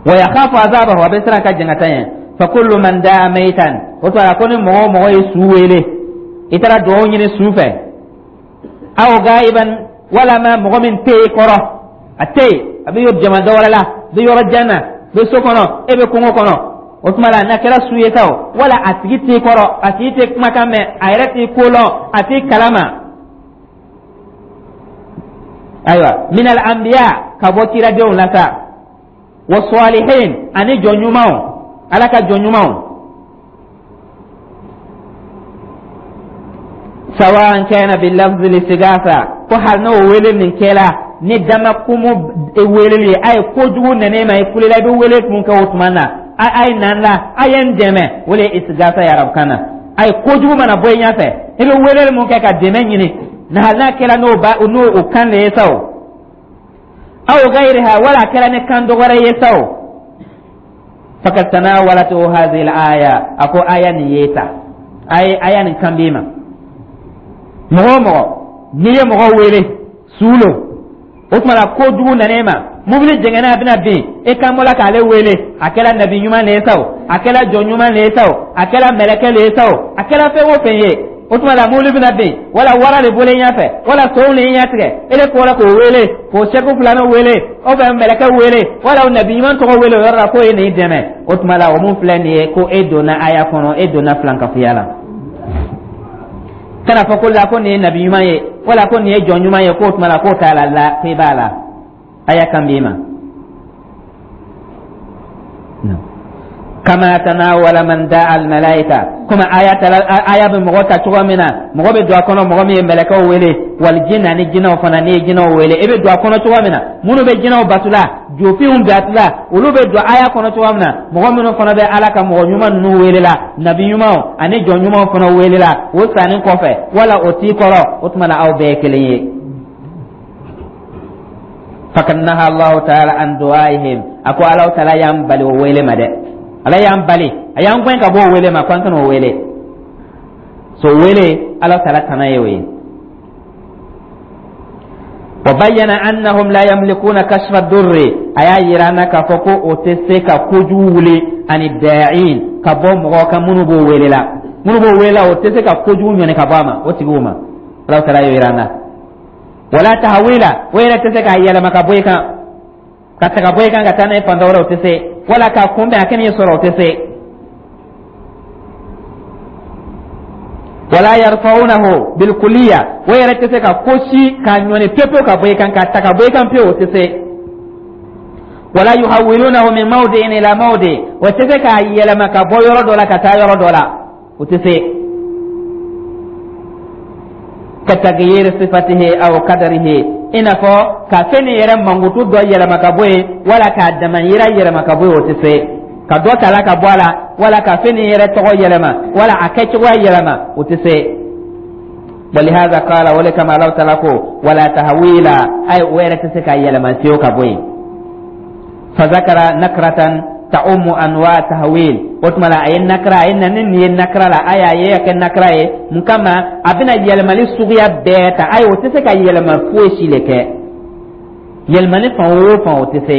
Wa yakhafu azabahu, a bɛ siran ka jangata ɲɛ. Fa kullu man daa maitan, o tuma la ko ni mɔgɔ o mɔgɔ ye su wele, i taara dugawu ɲini su fɛ, aw gaiban, walama mɔgɔ min tɛ i kɔrɔ, a tɛ yen, a bɛ yɔrɔ jama dɔ wɛrɛ la, a bɛ yɔrɔ jan na, a bɛ so kɔnɔ, e bɛ kungo kɔnɔ, o tuma la n'a kɛra su ye sa o, wala a tigi t'i kɔrɔ, a tigi tɛ kumakan mɛn, a yɛrɛ t'i ko lɔn, a t'i kalama. Ayiwa, minal anbiya, ka bɔ kiradenw la sa, wa salihin, ani jɔn ɲumanw, Ala ka jɔn ɲumanw, sawan kana bil lafzi listigasa, ko hali n'o wele nin kɛla ni dama kumu weleli ye, a ye kojugu nana e ma, i kulela, i bɛ wele mun kɛ o tuma na, a ye na n la, a ye n dɛmɛ, o de ye istigasa ye arabukan na. A ye kojugu mana bɔ i ɲɛfɛ, i bɛ weleli mun kɛ ka dɛmɛ ɲini na, hali n'a kɛra n'o ba n'o o kan de ye sa o, aw gayriha, wala a kɛra ni kan dɔ wɛrɛ ye sa o, fakad tanawalatu hadhihi al-aya, a ko aya nin ye ta, aya nin kan b'i ma. Mɔgɔ o mɔgɔ n'i ye mɔgɔ wele su lo, o tuma la kojugu nana e ma, mobili jɛngɛnna, a bɛna bin, e kan bɔla k'ale wele, a kɛra nabi ɲuman le ye sa o, a kɛra jɔn ɲuman le ye sa o, a kɛra mɛlɛkɛ le ye sa o, a kɛra fɛn o fɛn ye, o tuma la mobili bɛna bin, wala wara de bɔlen ɲɛfɛ, wala sow le ɲɛ tigɛ, e de kɔra k'o wele, k'o sɛku filanan wele, o bɛ mɛlɛkɛ wele, wala o nabi ɲuman tɔgɔ wele o yɔrɔ la k'o ye nin dɛmɛ, o tuma la o mun filɛ nin ye, ko e donna aya kɔnɔ, e donna filankafoya la. Kana fɔ ko la ko nin ye nabi ɲuman ye, wala ko nin ye jɔn ɲuman ye, k'o tuma la k'o t'a la, la k'e b'a la, aya kan b'i ma. Kama tanawala man da'a al malaika, komi aya tala aya bɛ mɔgɔ ta cogo min na, mɔgɔ bɛ don a kɔnɔ, mɔgɔ min ye mɛlɛkɛw wele, wal jinn, ani jinɛw fana, n'i ye jinɛw wele, e bɛ don a kɔnɔ cogo min na, minnu bɛ jinɛw batula, jofinw batula, olu bɛ don aya kɔnɔ cogo min na, mɔgɔ minnu fana bɛ Ala ka mɔgɔ ɲuman ninnu wele la, nabi ɲumanw ani jɔn ɲumanw fana wele la, o sanni kɔfɛ wala o t'i kɔrɔ, o tuma na aw bɛɛ ye kelen ye. Fakad naha Allahu taala an du'aihim, a ko Allahu taala y'an bali o wele ma dɛ, Ala y'an bali, a y'an gɛn ka bɔ o wele ma, ko an kana o wele. So wele, Ala taala tana ye o ye. Wa bayyana annahum la yamlikuna kashfa durri, a y'a yira an na k'a fɔ ko o tɛ se ka kojugu wuli ani da'in ka bɔ mɔgɔ kan minnu b'o wele la, minnu b'o wele la, o tɛ se ka kojugu ɲɔni ka bɔ a ma, o tigiw ma. Ala taala y'o yira an na. Wala tahawila, o yɛrɛ tɛ se k'a yɛlɛma ka bɔ i kan, ka ta ka bɔ i kan ka taa n'a ye fan dɔ wɛrɛ, o tɛ se, wala k'a kunbɛn a kan'i sɔrɔ, o tɛ se. Wala yarfa'unahu bilkuliya, o yɛrɛ tɛ se ka ko si k'a ɲɔni pewu ka bɔ i kan, k'a ta ka bɔ i kan pewu, o tɛ se. Wala yuhawwilunahu min mawdi'in ila mawdi, o tɛ se k'a yɛlɛma ka bɔ yɔrɔ dɔ la ka taa yɔrɔ dɔ la, o tɛ se. Ka taghyir sifatihi aw qadarihi, i n'a fɔ ka fɛn nin yɛrɛ mankutu dɔ yɛlɛma ka bɔ yen, wala k'a damayira yɛlɛma ka bɔ yen, o tɛ se ka dɔ ta la ka bɔ a la, wala ka fɛn nin yɛrɛ tɔgɔ yɛlɛma, wala a kɛcogoya yɛlɛma, o tɛ se. Walihaza qala, o le kama Alahu taala ko wala tahwila, ay o yɛrɛ tɛ se ka yɛlɛma fiyewu ka bɔ yen. Fazakara nakratan ta'ummu anwa tahwil. O tuma la, a ye nakra, a ye na ni nin ye nakra la, a y'a ye a kɛ nakra ye mun kama? A bɛna yɛlɛmali suguya bɛɛ ta. Ayi, o tɛ se ka yɛlɛma foyi si le kɛ, yɛlɛmali fan o fan, o tɛ se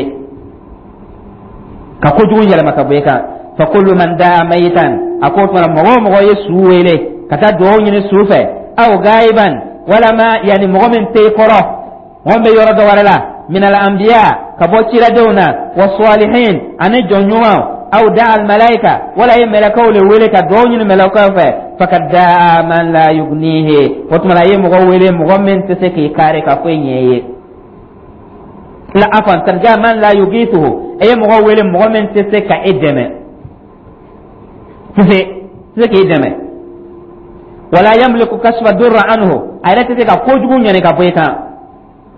ka kojugu yɛlɛma ka bɔ i kan. Fa kullu man daa mayitan, a ko o tuma la, mɔgɔ o mɔgɔ ye su wele ka taa dugawu ɲini su fɛ, aw gaiban, walama yanni mɔgɔ min tɛ i kɔrɔ, mɔgɔ min bɛ yɔrɔ dɔ wɛrɛ la, min al anbiya, ka bɔ ciradenw na, wa salihin, ani jɔn ɲumanw, aw da al malaika, wala ye mɛlɛkɛw le wele ka dugawu ɲini mɛlɛkɛw fɛ, fakad daa man la yugnihi, o tuma la, a ye mɔgɔ wele, mɔgɔ min tɛ se k'i kari ka foyi ɲɛ i ye. La afan tarja man la yugithuhu, e ye mɔgɔ wele, mɔgɔ min tɛ se ka e dɛmɛ, tɛ se k'i dɛmɛ, wala yamliku kashfa durra anhu, a yɛrɛ tɛ se ka kojugu ɲani ka bɔ i kan,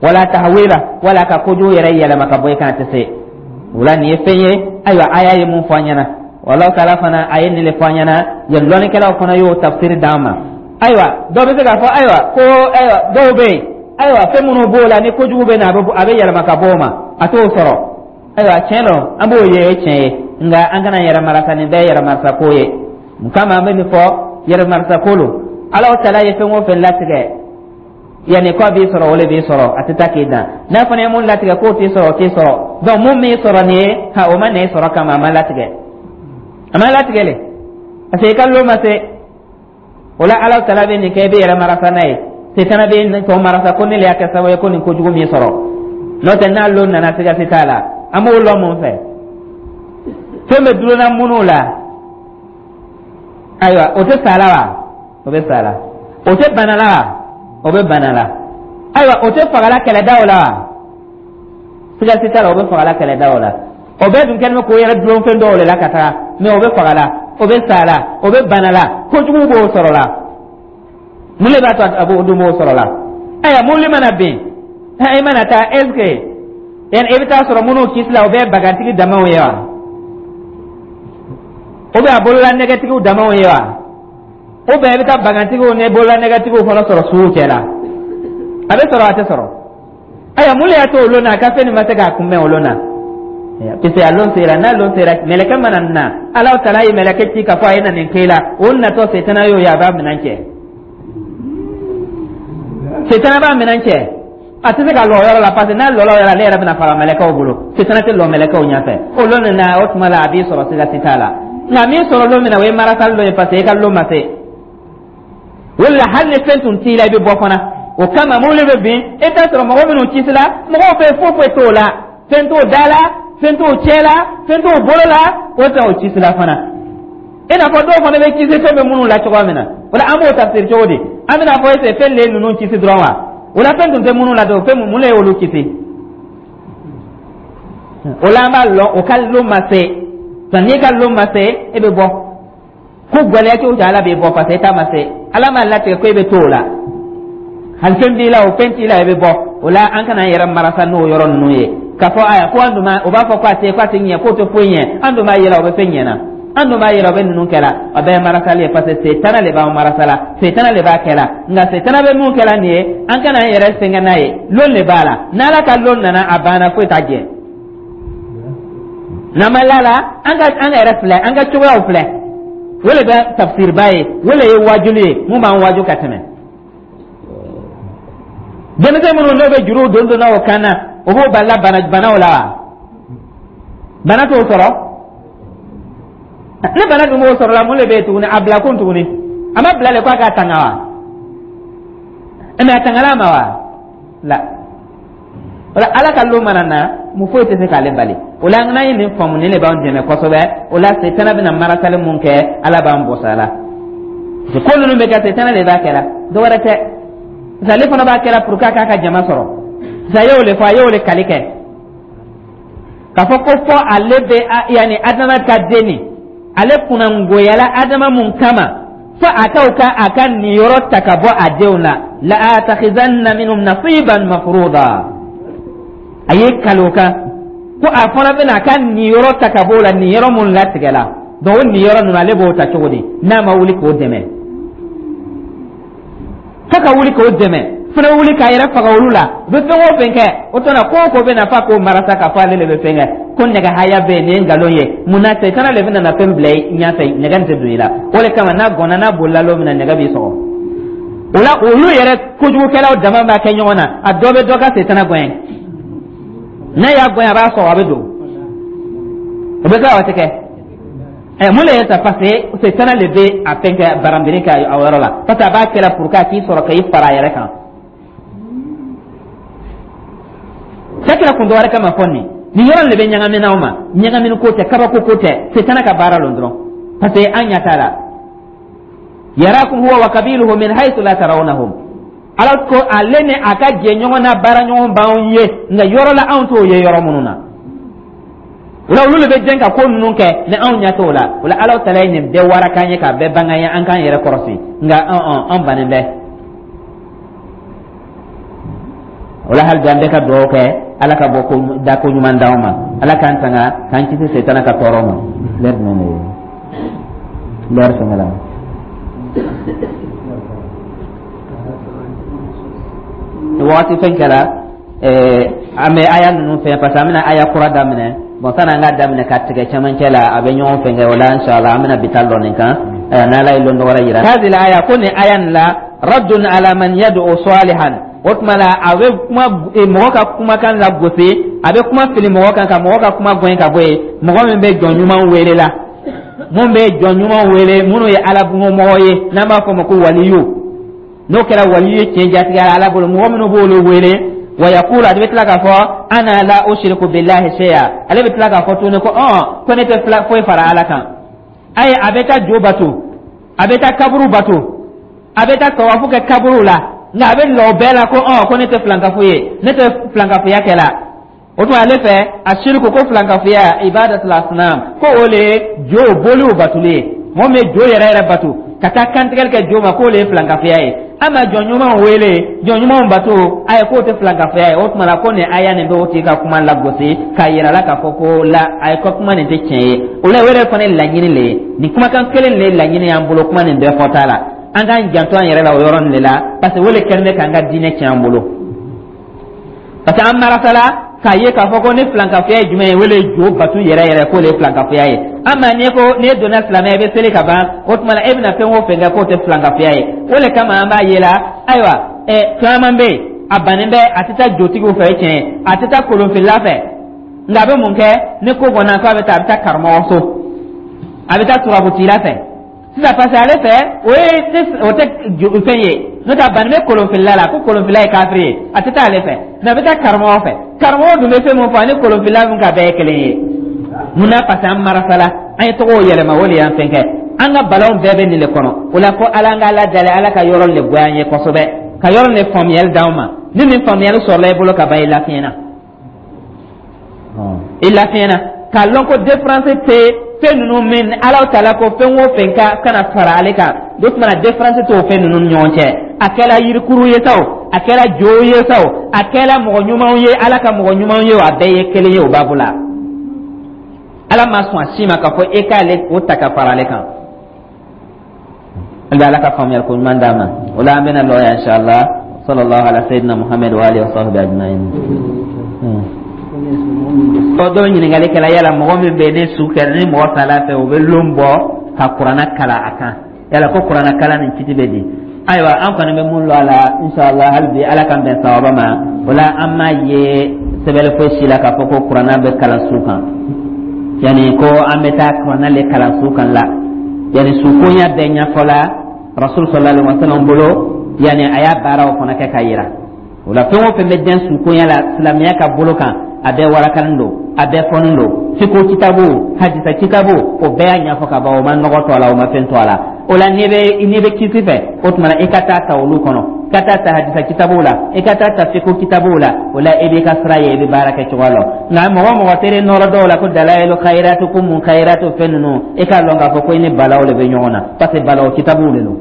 wala tahwila, wala ka kojugu yɛrɛ yɛlɛma ka bɔ i kan, a tɛ se. O la, nin ye fɛn ye. Ayiwa, aya ye mun fɔ an ɲɛna? Wallahu taala fana a ye nin de fɔ an ɲɛna. Yan lɔnnikɛlaw fana y'o tafsiri d'an ma. Ayiwa, dɔw bɛ se k'a fɔ, ayiwa, ko ayiwa, dɔw bɛ yen, ayiwa, fɛn minnu b'o la ni kojugu bɛ na, a bɛ yɛlɛma ka bɔ o ma, a t'o sɔrɔ. Ayiwa, tiɲɛ don, an b'o ye, o ye tiɲɛ ye, nka an kana yɛrɛ marasa, nin bɛɛ ye yɛrɛ marasa ko ye. Mun kama an bɛ nin fɔ? Yɛrɛ marasa ko lo. Ala taala ye fɛn o fɛn latigɛ, yanni k'a b'i sɔrɔ, o le b'i sɔrɔ, a tɛ taa k'i dan. N'a fana ye mun latigɛ k'o t'i sɔrɔ, o t'i sɔrɔ. Donc mun m'i sɔrɔ nin ye, ha, o ma na i sɔrɔ kama, a ma latigɛ, a ma latigɛ le, parce que i ka lon ma se. O la, Ala taala bɛ nin kɛ, i bɛ yɛrɛ marasa n'a ye. Setana bɛ tɔ marasa ko ne le y'a kɛ sababu ye ko nin kojugu m'i sɔrɔ. N'o tɛ, n'a lon nana, siga si t'a la. An b'o lɔn mun fɛ? Fɛn bɛ dulonna minnu la, ayiwa, o tɛ sa la wa? O bɛ sa la. O tɛ bana la wa? O bɛ bana la. Ayiwa, o tɛ fagala kɛlɛdaw la wa? Siga si t'a la, o bɛ fagala kɛlɛdaw la. O bɛɛ dun kɛlen bɛ k'o yɛrɛ dulon fɛn dɔw de la ka taga, mɛ o bɛ fagala, o bɛ sa la, o bɛ bana la, kojugu b'o sɔrɔ la. Mun de b'a to a b'o dun b'o sɔrɔ la? Ayiwa, mobili mana bin, i mana taa, est ce que yani i bɛ taa sɔrɔ minnu kisi la, o bɛɛ bagantigi damaw ye wa? O bɛ a bolola nɛgɛtigiw damaw ye wa? O bɛɛ i bɛ taa bagantigiw ni bolola nɛgɛtigiw fana sɔrɔ suw cɛ la. A bɛ sɔrɔ, a tɛ sɔrɔ. Ayiwa, mun de y'a to o lon na a ka fɛn nin ma se k'a kunbɛn o lon na? Parce que a lon sera. N'a lon sera, mɛlɛkɛ mana na, Ala taala ye mɛlɛkɛ ci k'a fɔ a ye na nin k'e la, o natɔ, setana y'o ye, a b'a minɛn cɛ. Setana b'a minɛn cɛ, a tɛ se ka lɔ o yɔrɔ la, parce que n'a lɔla o yɔrɔ la, ale yɛrɛ bɛna faga mɛlɛkɛw bolo. Setana tɛ lɔ mɛlɛkɛw ɲɛfɛ o lon na. O tuma la, a b'i sɔrɔ, siga si t'a la. Nka min sɔrɔ lon min na, o ye marasali lon ye, parce que i ka lon ma se. O la, hali ni fɛn tun t'i la, i bɛ bɔ fana. O kama mobili bɛ bin, i t'a sɔrɔ mɔgɔ minnu kisila, mɔgɔw bɛ foyi foyi t'o la, fɛn t'o da la, fɛn t'o cɛ la, fɛn t'o bolo la, o tɛ o kisila fana. I n'a fɔ dɔw fana bɛ kisi fɛn bɛ minnu la cogoya min na, o la an b'o tafsiri cogo di? An bɛna fɔ ese fɛn de ye ninnu kisi dɔrɔn wa? O la, fɛn tun tɛ minnu la dɔrɔn, fɛn mun de y'olu kisi? O la, an b'a lɔn o ka lon ma se. N'i ka lon ma se, e bɛ bɔ ko gɛlɛya cogo cogo, Ala b'i bɔ, parce que e ta ma se. Ala m'a latigɛ ko e bɛ to o la. Hali fɛn b'i la o, fɛn t'i la, e bɛ bɔ o la. An kana an yɛrɛ marasa n'o yɔrɔ ninnu ye k'a fɔ aya ko an dun ma, o b'a fɔ ko a tɛ, ko a tɛ ɲɛ, k'o tɛ foyi ɲɛ. An dun b'a yɛlɛ, o bɛ fɛn ɲɛ na. An dun b'a yɛlɛ, o bɛ ninnu kɛ la. A bɛɛ ye marasali ye, parce que setana de b'an marasa la, setana de b'a kɛ la. Nka setana bɛ mun kɛ la nin ye? An kana an yɛrɛ sɛgɛn n'a ye. Lon de b'a la. N'Ala ka lon nana, a banna, foyi t'a jɛ. N'an ma la la, an ka an yɛrɛ filɛ, an ka cogoyaw filɛ. O de bɛ tafsiriba ye, o de ye wajuli ye, mun b'an waju ka tɛmɛ. Denmisɛn minnu n'o bɛ juruw don donna o kan na, o b'o balila bana banaw la wa? Bana t'o sɔrɔ. Ni bana dun b'o sɔrɔ la, mun de bɛ yen tuguni? A bila kun tuguni, a ma bila le ko a k'a tanga wa? Mais a tangala a ma wa? La, o la, Ala ka lon mana na, mun foyi tɛ se k'ale bali. O la, n'an ye nin faamu, nin de b'an dɛmɛ kosɛbɛ. O la, setana bɛna marasali mun kɛ, Ala b'an bɔs'a la. Ko ninnu bɛ kɛ, setana de b'a kɛ la, dɔ wɛrɛ tɛ, parce que ale fana b'a kɛ la pour que a k'a ka jama sɔrɔ. Parce que a y'o le fɔ, a y'o le kali kɛ k'a fɔ ko fɔ ale bɛ yanni Adama ka den nin, ale kunnangoyala Adama mun kama. Fo a ka o ka a ka niyɔrɔ ta ka bɔ a denw na. La atakhizanna minhum nasiban mafruda, a ye kali o kan ko a fana bɛna a ka niyɔrɔ ta ka bɔ o la, niyɔrɔ mun latigɛla. Donc o niyɔrɔ ninnu, ale b'o ta cogo di n'a ma wuli k'o dɛmɛ? F'a ka wuli k'o dɛmɛ fana, wuli k'a yɛrɛ faga olu la. U bɛ fɛn o fɛn kɛ, o tuma ko o ko bɛ na, f'a k'o marasa k'a fɔ ale de bɛ fɛn kɛ, ko nɛgɛ haya bɛ yen. Nin ye nkalon ye. Mun na? Sɛtana de bɛna na fɛn bila i ɲɛfɛ, nɛgɛ nin tɛ don i la. O de kama n'a gɔnna, n'a bolila lon min na, nɛgɛ b'i sɔgɔ. O la, olu yɛrɛ kojugukɛlaw dama b'a kɛ ɲɔgɔn na. A dɔ bɛ dɔ ka setana gɛn, n'a y'a gɛn, a b'a sɔgɔ, a bɛ don. O bɛ kɛ, o tɛ kɛ. Ɛ, mun de ye sa? Parce que setana de bɛ a fɛn kɛ, baranbiri kɛ a yɔrɔ la, parce que a b'a kɛra pour que a k'i sɔrɔ k'i fara a yɛrɛ kan. Sakira kun dɔ wɛrɛ kama fɔ nin yɔrɔ de bɛ ɲagamina aw ma. Ɲagamini ko tɛ, kabako ko tɛ, setana ka baara lon dɔrɔn, parce que an ɲɛ t'a la. Yarakum huwa wa kabiluhu min haythu la tarawnahum. Ala ko ale ni a ka jɛɲɔgɔn n'a baaraɲɔgɔn b'anw ye, nka yɔrɔ la anw t'o ye yɔrɔ minnu na. O la, olu de bɛ jɛn ka ko ninnu kɛ ni anw ɲɛ t'o la. O la, Ala tala ye nin bɛɛ wara k'an ye, k'a bɛɛ bange an ye, an k'an yɛrɛ kɔrɔsi. Nka an bannen bɛ o la. Hali bi an bɛ ka dugawu kɛ, Ala ka bɔ ko da ko ɲuman d'anw ma, Ala k'an tanga, k'an kisi setana ka tɔɔrɔ ma. Lɛri jumɛn de ye lɛri fɛngɛ la? Wagati fɛn kɛra, an bɛ aya ninnu fɛn, parce que an bɛna aya kura daminɛ. Bon, sani an k'a daminɛ ka tigɛ cɛmancɛ la, a bɛ ɲɔgɔn fɛn kɛ. O la, inshallah, an bɛna bi ta lɔ nin kan, n'Ala ye lon dɔ wɛrɛ yira. Hadhihi aya, ko nin aya nin la, raddun ala man yad'u salihan. O tuma la, a bɛ kuma mɔgɔ ka kumakan lagosi, a bɛ kuma fili mɔgɔ kan, ka mɔgɔ ka kuma gɛn ka bɔ yen, mɔgɔ min bɛ jɔn ɲuman wele la, mun bɛ jɔn ɲuman wele, minnu ye Ala mɔgɔ ye, n'an b'a fɔ o ma ko waliyu. N'o kɛra waliyu ye tiɲɛ jatigiya la Ala bolo, mɔgɔ minnu b'olu wele, wa yaqulu, ale bɛ tila k'a fɔ: ana la ushriku billahi shay'a. Ale bɛ tila k'a fɔ tuguni ko ko ne tɛ foyi fara Ala kan. Ayi, a bɛ taa jo bato, a bɛ taa kaburu bato, a bɛ taa tawafu kɛ kaburu la, nka a bɛ lɔ o bɛɛ la ko ko ne tɛ filankafo ye, ne tɛ filankafoya kɛ la. O tuma, ale fɛ, a siriku, ko filankafoya, ibadatul asnam, ko o le ye jo boliw batoli ye. Mɔgɔ min bɛ jo yɛrɛ yɛrɛ bato, ka taa kantigɛli kɛ jo ma, k'o le ye filankafoya ye. Ama jɔn ɲumanw wele, jɔn ɲumanw bato, ayi, k'o tɛ filankafoya ye. O tuma la, ko nin aya nin bɛ o tigi ka kuma lagosi, k'a yira la k'a fɔ ko la, ayi, ko kuma nin tɛ tiɲɛ ye. O la, o yɛrɛ fana ye laɲini le ye. Nin kumakan kelen le ye laɲini y'an bolo kuma nin bɛɛ fɔta la. An k'an janto an yɛrɛ la o yɔrɔ nin de la, parce que o le kɛlen bɛ k'an ka diinɛ tiɲɛ an bolo, parce que an marasala k'a ye k'a fɔ ko ni filankafoya ye jumɛn ye, o le ye jo batu yɛrɛ yɛrɛ, k'o le ye filankafoya ye. Ama n'i ko n'i donna silamɛya, i bɛ seli ka ban, o tuma la e bɛna fɛn o fɛn kɛ, k'o tɛ filankafoya ye. O le kama an b'a ye la, ayiwa, caman bɛ yen, a bannen bɛ, a tɛ taa jotigiw fɛ, tiɲɛ ye, a tɛ taa kolonfilila fɛ, nka a bɛ mun kɛ ni ko kɔnɔ k'a bɛ taa? A bɛ taa karamɔgɔ so, a bɛ taa turabutila fɛ sisan, parce que ale fɛ o ye o tɛ fɛn ye. N'o tɛ, a bannen bɛ kolonfilila la, ko kolonfilila ye kafiri ye, a tɛ taa ale fɛ, mɛ a bɛ taa karamɔgɔ fɛ. Karamɔgɔ dun bɛ fɛn min fɔ, ani kolonfilila min ka bɛɛ ye kelen ye. Mun na? Parce que an marasala, an ye tɔgɔw yɛlɛma, o de y'an fɛn kɛ. An ka balaw bɛɛ bɛ nin de kɔnɔ. O la, ko Ala, an ka Ala dali, Ala ka yɔrɔ de goya an ye kosɛbɛ, ka yɔrɔ de faamuyali d'anw ma. Ni nin faamuyali sɔrɔla i bolo ka ban, i lafiɲɛna, i lafiɲɛna k'a lɔn ko différence tɛ fɛn ninnu min Ala taala ko fɛn o fɛn ka kana fara ale kan. O tuma na, différence t'o fɛn ninnu ni ɲɔgɔn cɛ. A kɛra yirikuru ye sa o, a kɛra jo ye sa o, a kɛra mɔgɔ ɲumanw ye, Ala ka mɔgɔ ɲumanw ye o, a bɛɛ ye kelen ye o babu la. Ala ma sɔn a si ma k'a fɔ e k'ale o ta ka fara ale kan. An bɛ Ala ka faamuyali ko ɲuman d'an ma. O la, an bɛna lɔ yan, inshallah. Sallallahu ala sayyidina Muhammad wa alihi wa sahbihi ajma'in. Ɔ, dɔw ɲininkali kɛla yala mɔgɔ min bɛ ni su kɛra, ni mɔgɔ sala fɛ, o bɛ lon bɔ ka kuranna kalan a kan, yala ko kuranna kalan nin kiti bɛ di? Ayiwa, an kɔni bɛ mun lɔn a la, inshallah, hali bi Ala k'an bɛn sawaba ma. O la, an m'a ye sɛbɛnni foyi si la k'a fɔ ko kuranna bɛ kalan su kan, yanni ko an bɛ taa kuranna le kalan su kan la. Yanni sukonya bɛɛ ɲɛfɔla Rasul sallallahu alaihi wasallam bolo, yanni a y'a baaraw fana kɛ ka yira. O la, fɛn o fɛn bɛ dɛn sukonya la silamɛya ka bolo kan, a bɛɛ warakalen don, a bɛɛ fɔnen don. Fiko kitabu, hadisa kitabu, o bɛɛ y'a ɲɛfɔ ka ban. O ma nɔgɔ to a la, o ma fɛn to a la. O la, n'i bɛ kisi fɛ, o tuma na i ka taa ta olu kɔnɔ. Ka taa ta hadisa kitabuw la, i ka taa ta fiqh kitabuw la. O la, i b'i ka sira ye, i bɛ baara kɛ cogoya la. Nka mɔgɔ o mɔgɔ tere nɔrɔ dɔw la ko dalayilu khayratu, ko mun khayratu, fɛn ninnu, i k'a lɔn k'a fɔ ko i ni balaw de bɛ ɲɔgɔn na, parce que balaw kitabuw de don.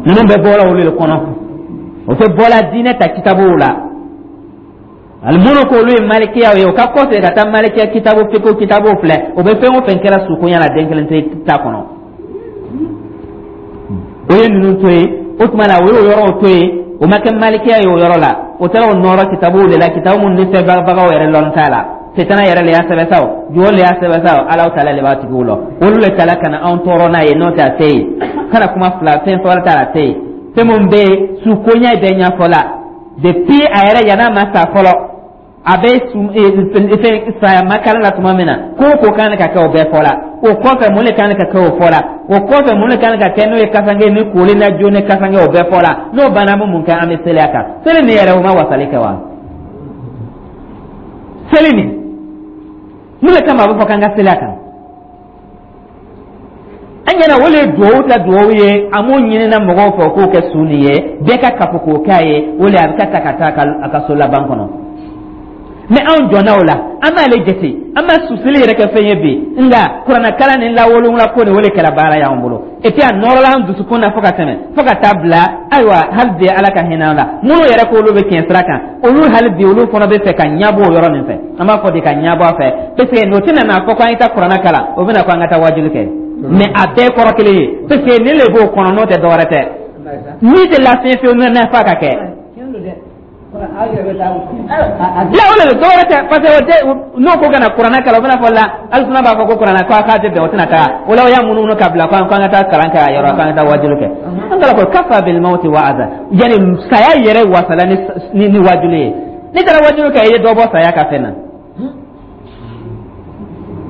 Ninnu bɛɛ bɔra olu de kɔnɔ, o tɛ bɔla diinɛ ta kitabuw la. Ali minnu ko olu ye malikiyaw ye, o ka kɔsegin ka taa malikiya kitabu, fiqh kitabu filɛ. O bɛ fɛn o fɛn kɛra sukonya la, den kelen tɛ ta kɔnɔ. O ye ninnu to yen. O tuma na, o y'o yɔrɔw to yen, o ma kɛ malikiya ye o yɔrɔ la. O taara o nɔrɔ kitabuw de la, kitabu minnu ni sɛbɛnbagaw yɛrɛ lɔn t'a la. Setana yɛrɛ le y'a sɛbɛn sa, o jɔn le y'a sɛbɛn sa, o Alaw taala le b'a tigiw lɔ. Olu le taala ka na anw tɔɔrɔ n'a ye. N'o tɛ, a tɛ yen. Kana kuma fila fɛn wɛrɛ t'a la, a tɛ yen. Fɛn min bɛ yen, sukonya bɛ ɲɛfɔ la depuis a yɛrɛ yann'a ma sa fɔlɔ. A bɛ fɛn saya makala la tuma min na, ko o ko kan ka kɛ, o bɛɛ fɔla. O kɔfɛ, mun de kan ka kɛ, o fɔla. O kɔfɛ, mun de kan ka kɛ, n'o ye kasange ni koli na jo ni kasange, o bɛɛ fɔla. N'o banna, an bɛ mun kɛ? An bɛ seli a kan. Seli nin yɛrɛ, o ma wasali kɛ wa? Seli nin, mun de kama a bɛ fɔ k'an ka seli a kan? An ɲɛna o le ye duwawu ta duwawu ye. An m'o ɲinina mɔgɔw fɛ k'o kɛ su nin ye, bɛɛ ka kafo k'o k'a ye. O le a bɛ ka ta ka taa a ka so laban kɔnɔ. Mais anw jɔnna o la, an b'ale jate, an b'a susili yɛrɛ kɛ fɛn ye bi. Nka kuranɛkalan ni lawolowula ko nin, o de kɛra baara y'an bolo. Et puis a nɔrɔla an dusukun na fo ka tɛmɛ, fo ka taa bila. Ayiwa, hali bi Ala ka hinɛ an la, minnu yɛrɛ k'olu bɛ tiɲɛ sira kan, olu hali bi olu fana bɛ fɛ ka ɲɛbɔ o yɔrɔ nin fɛ. An b'a fɔ de ka ɲɛbɔ a fɛ, parce que n'o tɛna n'a fɔ ko an ye taa kuranɛ kalan, o bɛna ko an ka taa wajuli kɛ. Mais a bɛɛ kɔrɔ kelen ye, parce que nin le b'o kɔnɔ, n'o tɛ dɔwɛrɛ tɛ. Min tɛ lafiɲɛ fiyewu n'a f'a ka kɛ la, o de dɔwɛrɛ tɛ, parce que o tɛ. N'o ko ka na kuranɛ kalan, o bɛna fɔ la alisuna b'a fɔ ko kuranɛ ko a k'a tɛ bɛn, o tɛna taa o la. O y'a munumunu ka bila ko an ka taa kalan kɛ a yɔrɔ, k'an ka taa wajuli kɛ. An kala ko kafa bil mawti wa'aza, yani saya yɛrɛ wasala ni wajuli ye. N'i taara wajuli kɛ, i ye dɔ bɔ saya ka fɛn na,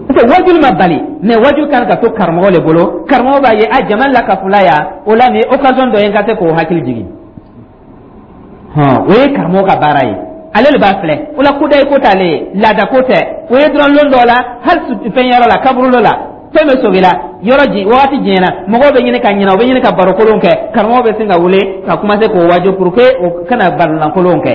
parce que wajuli ma bali. Mais wajuli kan ka to karamɔgɔ le bolo. Karamɔgɔ b'a ye a jama lakafula yan, o la nin ye occasion dɔ ye n ka se k'o hakili jigin. Hɔn, o ye karamɔgɔ ka baara ye, ale de b'a filɛ. O la, kodayi ko t'ale ye, laada ko tɛ. O ye dɔrɔn lon dɔ la, hali fɛn yɔrɔ la, kaburu dɔ la, fɛn bɛ sogi la, yɔrɔ ji wagati jɛɲɛna, mɔgɔw bɛ ɲini ka ɲinɛ, u bɛ ɲini ka baro kolon kɛ. Karamɔgɔ bɛ sin ka wele ka commencer k'o waju pour que o kana barolankolon kɛ.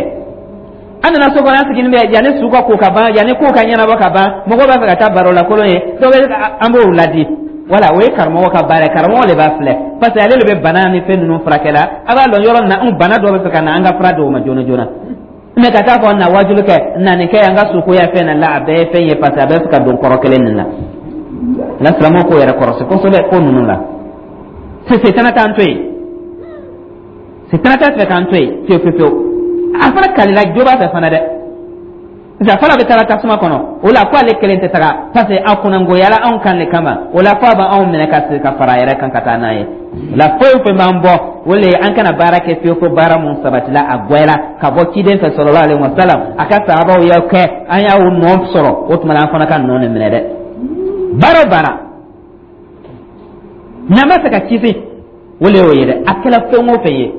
An nana so kɔnɔ, an sigilen bɛ, yanni su ka ko ka ban, yanni ko ka ɲɛnabɔ ka ban, mɔgɔw b'a fɛ ka taa baro lakolon ye, dɔw bɛ, an b'o ladi. Wala o ye karamɔgɔ ka baara ye. Karamɔgɔ de b'a filɛ, parce que ale de bɛ bana ni fɛn ninnu furakɛ la. A b'a lɔn yɔrɔ min na anw bana dɔ bɛ fɛ ka na, an ka fura di o ma joona joona. Mais ka taa fɔ na wajulu kɛ, na nin kɛ, an ka sukoya fɛn na la, a bɛɛ ye fɛn ye, parce que a bɛɛ bɛ fɛ ka don kɔrɔ kelen nin la. La silamɛw k'o yɛrɛ kɔrɔsi kosɛbɛ ko ninnu la. Setana t'an to yen, setana t'a fɛ k'an to yen fiyewu fiyewu fiyewu. A fana kalila jo b'a fɛ fana dɛ, parce que a fana bɛ taara tasuma kɔnɔ. O la, ko ale kelen tɛ taga, parce que a kunnangoyala anw kan de kama. O la, fo a b'anw minɛ ka segin ka fara a yɛrɛ kan ka taa n'a ye. O la, foyi fɛn b'an bɔ, o le ye an kana baara kɛ fiyewu fo baara mun sabatila, a gwɛla ka bɔ ciden fɛ sallallahu alaihi wasallam, a ka sahabaw y'o kɛ, an y'a nɔ sɔrɔ. O tuma na, an fana ka nɔ nin minɛ dɛ. Baara o baara n'an b'a fɛ ka kisi, o le y'o ye dɛ. A kɛra fɛn o fɛn ye,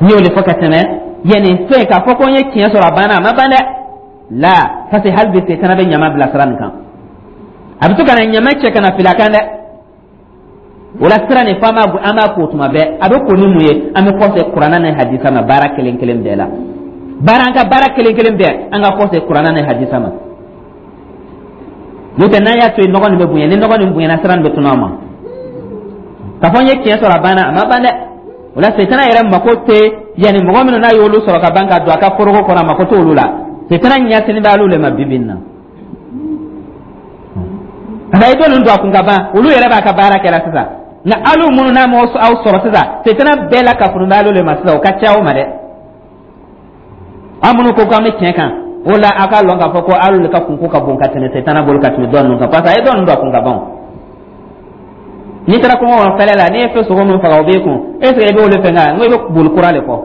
n y'o de fɔ ka tɛmɛ. Yanni fɛn k'a fɔ ko n ye tiɲɛ sɔrɔ, a banna, a ma ban dɛ. La, parce que hali bi setana bɛ ɲama bila sira nin kan, a bɛ to ka na ɲama cɛ ka na fili a kan dɛ. O la, sira nin fo an b'a ko tuma bɛɛ. A bɛ ko ni mun ye? An bɛ kɔsegin kuranɛ ni hadisa ma baara kelen kelen bɛɛ la. Baara, an ka baara kelen kelen bɛɛ, an ka kɔsegin kuranɛ ni hadisa ma. N'o tɛ, n'an y'a to yen, nɔgɔ nin bɛ bonya. Ni nɔgɔ nin bonyana, sira nin bɛ tunu an ma. K'a fɔ n ye tiɲɛ sɔrɔ, a banna, a ma ban dɛ. O la, setana yɛrɛ mako tɛ yanni mɔgɔ minnu n'a y'olu sɔrɔ ka ban ka don a ka foroko kɔnɔ, a mako t'olu la. Setana ɲɛsini bɛ olu le ma bi bi in na. Nka i t'olu don a kun ka ban, olu yɛrɛ b'a ka baara kɛra sisan. Nka alu minnu n'a m'aw sɔrɔ sisan, setana bɛɛ la kafuru bɛ alu le ma sisan, o ka ca o ma dɛ. An minnu ko k'an bɛ tiɲɛ kan, o la a k'a lɔn k'a fɔ ko alu le ka kunko ka bon ka tɛmɛ setana bolo, ka tɛmɛ dɔ ninnu kan, parce que a ye dɔ ninnu don a kun ka ban. N'i taara kungo kɔnɔ fɛlɛ la, n'i ye fɛn sogo min faga, o b'e kun. Est ce que i b'olu fɛn kan n ko i bɛ boli kura de kɔ?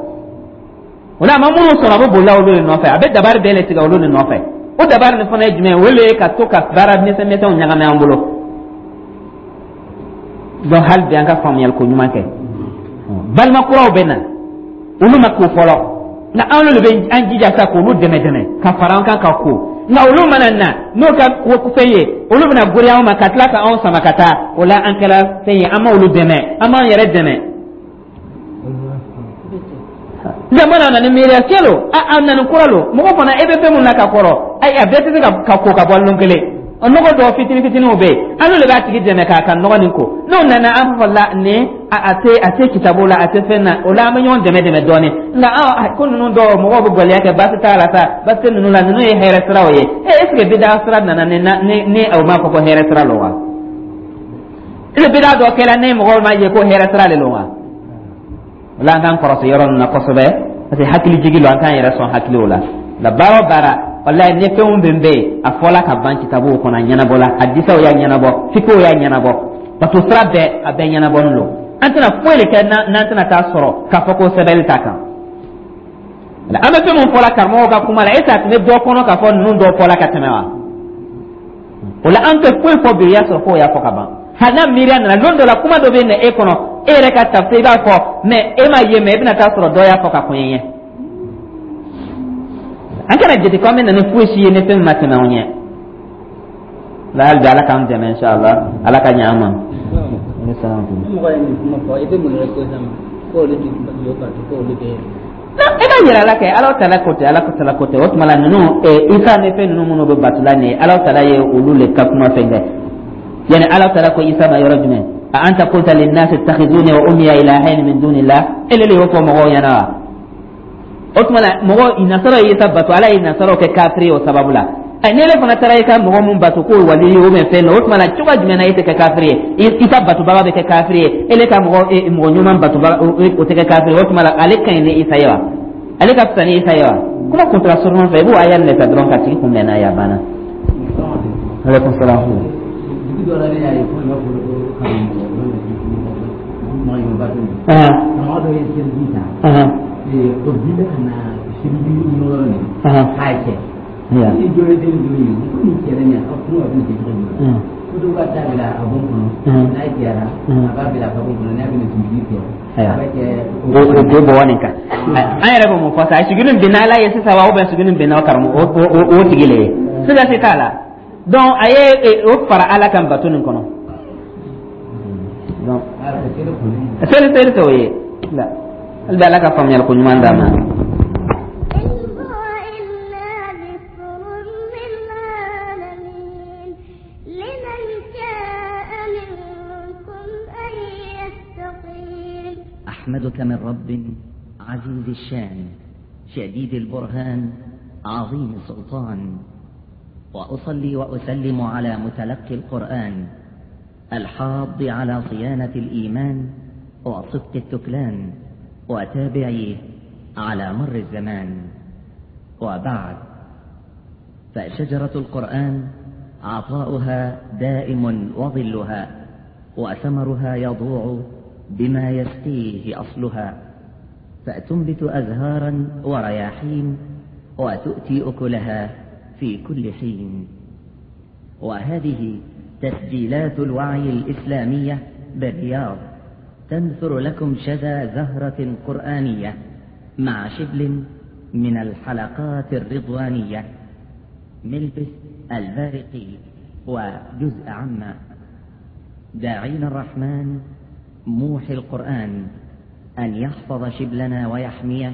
O la, a ma minnu sɔrɔ, a bɛ bolila olu de nɔfɛ, a bɛ dabari bɛɛ de tigɛ olu de nɔfɛ. O dabari nin fana ye jumɛn ye? O de ye ka to ka baara misɛn misɛnw ɲagami an bolo. Donc hali bi an ka faamuyali ko ɲuman kɛ. Balima kuraw bɛ na, olu ma ko fɔlɔ, nka anw de bɛ an jija sa k'olu dɛmɛ dɛmɛ ka fara an kan ka ko. Nka olu mana na n'o ka fɛn ye, olu bɛna gori anw ma ka tila ka anw sama ka taa. O la, an kɛra fɛn ye, an ma olu dɛmɛ, an b'an yɛrɛ dɛmɛ. Jamana nana ni miiriya tiɲɛ lo, a nana kura lo. Mɔgɔ fana, e bɛ fɛn mun na ka kɔrɔ, ayi, a bɛɛ tɛ se ka ko ka bɔ lon kelen. Nɔgɔ dɔw fitini fitiniw bɛ yen, an n'olu de b'a tigi dɛmɛ k'a ka nɔgɔ nin ko. N'o nana, an fɔ la nin a tɛ kitabu la, a tɛ fɛn na. O la, an bɛ ɲɔgɔn dɛmɛ dɛmɛ dɔɔnin. Nka an ko ninnu dɔw, mɔgɔw bɛ gɛlɛya kɛ, baasi t'a la sa, baasi tɛ ninnu la. Ninnu ye hɛrɛ siraw ye. E, est ce que bida sira nana ni o m'a fɔ ko hɛrɛ sira lo wa? Est ce que bida dɔ kɛra ni mɔgɔw ma ye ko hɛrɛ sira de lo wa? O la, an k'an kɔlɔsi yɔrɔ ninnu na kosɛbɛ, parce que hakili jigi lo, an k'an yɛrɛ sɔn hakiliw la. La baara o baara, walayi, ni fɛn o fɛn bɛ yen, a fɔla ka ban kitabuw kɔnɔ, a ɲɛnabɔla, hadisaw y'a ɲɛnabɔ, fikiw y'a ɲɛnabɔ, bato sira bɛɛ, a bɛɛ ɲɛnabɔlen don. An tɛna foyi de kɛ n'an tɛna taa sɔrɔ k'a fɔ ko sɛbɛnni t'a kan. An bɛ fɛn min fɔla karamɔgɔw ka kuma la, est ce que a tun bɛ dɔ kɔnɔ k'a fɔ ninnu dɔw fɔla ka tɛmɛ wa? O la, an tɛ foyi fɔ bi, i y'a sɔrɔ k'o y'a fɔ ka ban. Hali n'a miiriya nana lon dɔ la, kuma dɔ bɛ na e kɔnɔ, e yɛrɛ ka tafsir, i b'a fɔ, mais e m'a ye, mais e bɛna taa sɔrɔ dɔ y'a fɔ ka kɔn ɲɛ. An kana jate ko an bɛ na ni foyi si ye ni fɛn min ma tɛmɛ anw ɲɛ la. Hali bi, Ala k'an dɛmɛ, inshallah, Ala ka ɲɛ an ma. Mɔgɔ ye nin kuma fɔ, i bɛ mun yɛrɛ ko sisan ko olu ti jɔ bato, ko olu bɛ E b'a yɛrɛ la kɛ Ala tala ko tɛ, Ala tala ko tɛ. O tuma la, ninnu, Isa ni fɛn ninnu minnu bɛ batula nin ye, Ala tala ye olu le ka kuma fɛn kɛ. Yani Ala tala ko Isa ma yɔrɔ jumɛn? A anta qulta linnasi ittakhizuni wa ummiya ilahaini min dunillah. Ele le y'o fɔ mɔgɔw ɲɛna wa? O tuma la, mɔgɔ nasaraw ye Isa bato, Ala ye nasaraw kɛ kafiri ye o sababu la. Ɛ, ni ele fana taara i ka mɔgɔ mun bato k'o wali ye, o bɛ fɛn dɔ, o tuma la, cogoya jumɛn na e tɛ kɛ kafiri ye? Isa batobaga bɛ kɛ kafiri ye, ele ka mɔgɔ ɲuman batobaga, o tɛ kɛ kafiri ye. O tuma la, ale ka ɲi ni Isa ye wa? Ale ka fisa ni Isa ye wa? Kuma kuntala surunman fɛ, i b'o aya nin de ta dɔrɔn ka tigi kunbɛn n'a ye, a banna. Aleykum salaam. Dugu dɔ la, ne y'a ye ko i b'a fɔ ko karamɔgɔ mɔgɔ bato, karamɔgɔ dɔ ye seliji ta, o bila ka na seliji yɔrɔ nin k'a cɛ ni dɔ ye seli dɔ ye ko nin cɛ nin, a kuma bɛ nin kɛ cogo jumɛn? Ko dɔw ka taa bila a bon kɔnɔ, n'a jɛra, a b'a bila a ka bon kɔnɔ, n'a bɛna sugudi kɛ, a bɛ kɛ o bɛ bɔ nin kan. An yɛrɛ bɛ mun fɔ sa? Suguni binna Ala ye sisan wa, ou bien suguni binna o karamɔgɔ o tigi le ye? Siga si t'a la. Donc a ye o fara Ala kan bato nin kɔnɔ. Donc seli tɛ o ye la. Hali bi, Ala ka faamuyali ko ɲuman d'an ma. إن هو إلا ذكر للعالمين لمن شاء منكم أن يستقيم. أحمدك من رب عزيز الشان، شديد البرهان، عظيم السلطان، وأصلي وأسلم على متلقي القرآن الحاض على صيانة الإيمان وصدق التكلان وتابعيه على مر الزمان. وبعد، فشجرة القرآن عطاؤها دائم وظلها، وثمرها يضوع بما يسقيه أصلها، فتنبت أزهارا ورياحين وتؤتي أكلها في كل حين. وهذه تسجيلات الوعي الإسلامية بالرياض تنثر لكم شذا زهرة قرآنية مع شبل من الحلقات الرضوانية، ملبس البارقي وجزء عما، داعين الرحمن موحي القرآن أن يحفظ شبلنا ويحميه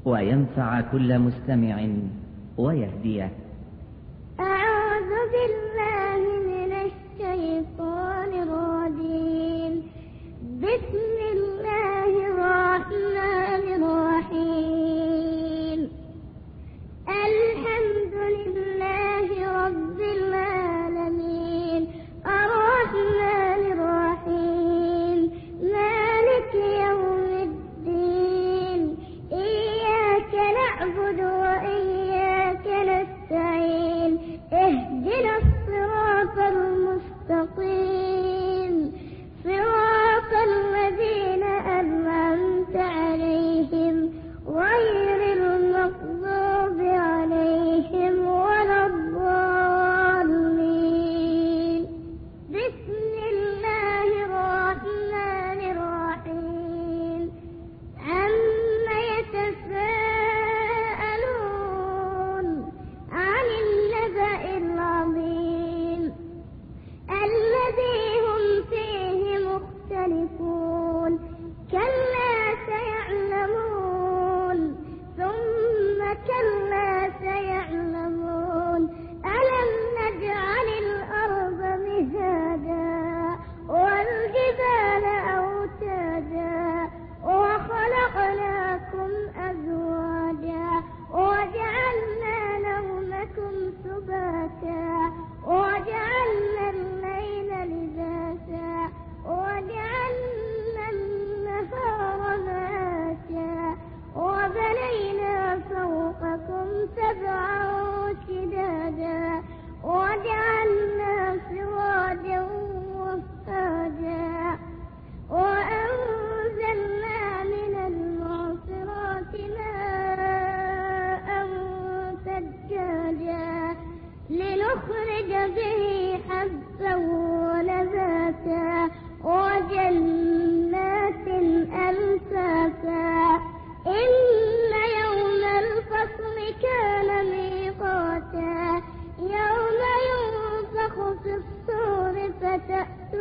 وينفع كل مستمع ويهديه. أعوذ بالله من الشيطان الرجيم. بسم الله الرحمن الرحيم. الحمد لله رب العالمين. الرحمن الرحيم. مالك يوم الدين. إياك نعبد وإياك نستعين. اهدنا الصراط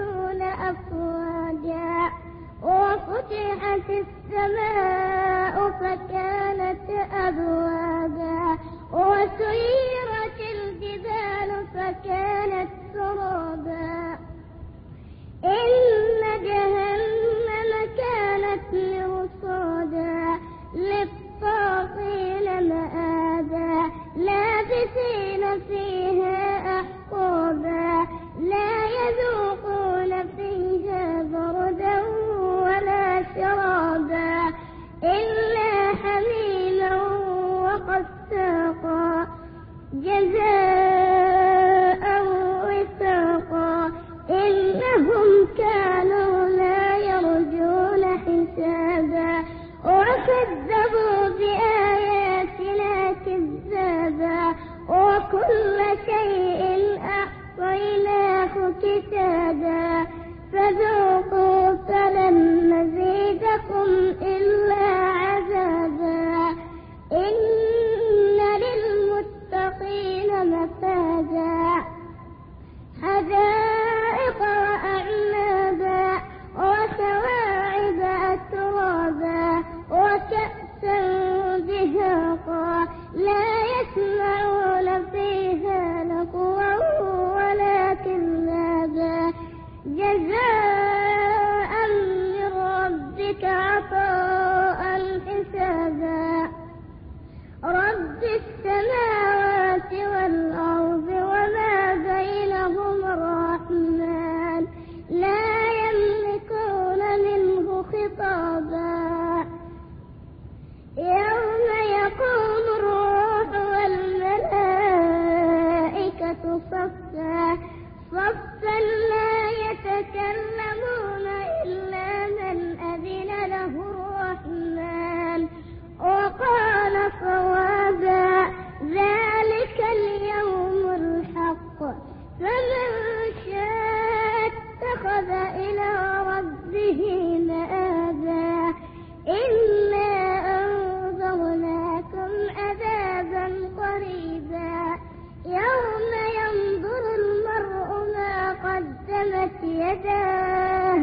يدخلون أفواجا. وفتحت السماء فكانت أبوابا، وسيرت الجبال فكانت سرابا. إن جهنم كانت مرصادا للطاغين مآبا، لابثين فيها أحقابا، لا يذوقون فيها بردا ولا شرابا إلا حميما وغساقا، جزاء وفاقا. إنهم كانوا لا يرجون حسابا، وكذبوا بآياتنا كذابا، وكل شيء أحصيناه كتابا. فذوقوا فلن نزيدكم إلا عذابا. إن للمتقين مفازا، حدائق وأعنابا، وكواعب أترابا، وكأسا دهاقا، لا يسمعون فيها لغوا ولا كذابا، جزاء من ربك عطاء حسابا. رب السماوات والأرض وما بينهما الرحمن، لا يملكون منه خطابا. يوم يقوم الروح والملائكة صفا صفا، لا يتكلمون إلا من أذن له الرحمن وقال صوابا. ذلك اليوم الحق، فمن شاء اتخذ إلى ربه مآبا. إنا أنذرناكم عذابا قريبا، يوم ينظر المرء ما قدمت يداه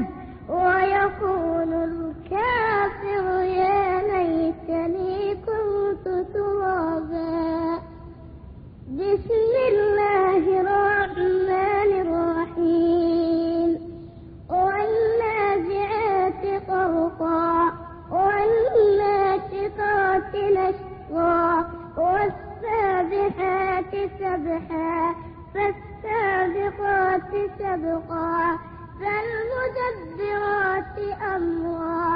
ويقول الكافر يا ليتني كنت ترابا. بسم الله الرحمن الرحيم. والنازعات غرقا، والناشطات نشطا، والسابحات سبحا، فالسابقات سبقا، فالمدبرات أمرا.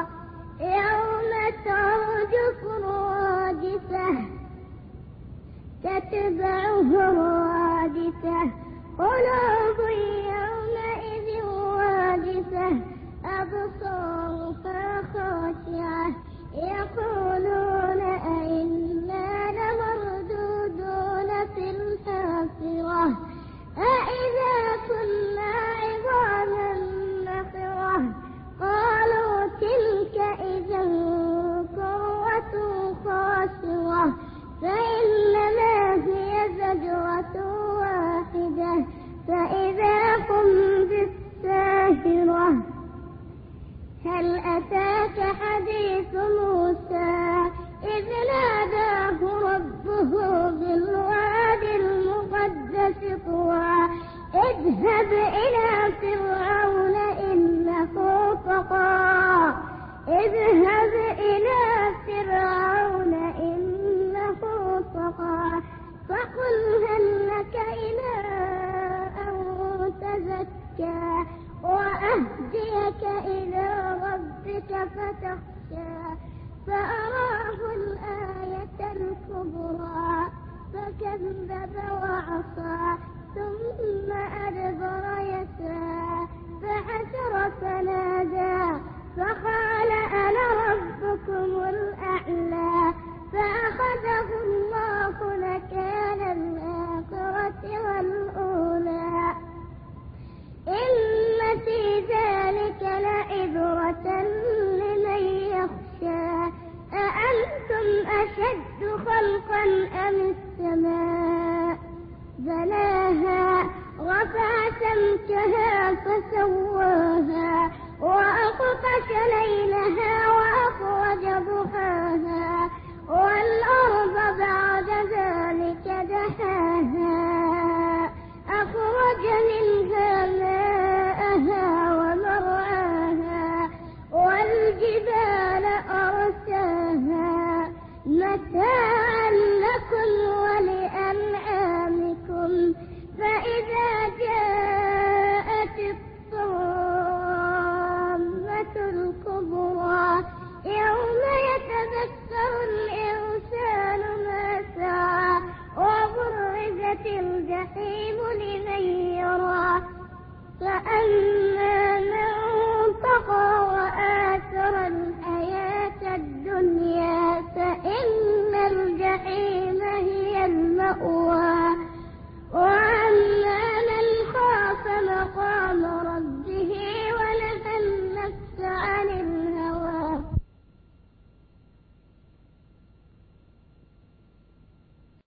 يوم ترجف الراجفة تتبعه الرادفة، قلوب يومئذ واجفة، أبصارها خاشعة، يقولون أئنا لمردودون في الحافرة، أئذا كنا عظاما نخرة، قالوا تلك إذا كرة خاسرة، فإنما هي زجرة واحدة، فإذا هم بالساهرة. هل أتاك حديث موسى إذ ناداه ربه بالواد المقدس طوى، اذهب إلى فرعون إنه طغى، اذهب إلى فرعون إنه طغى، فقل هل لك إلى أن تزكى، وأهديك إلى ربك فتخشى، فأراه الآية الكبرى، فكذب وعصى، ثم أدبر يسعى.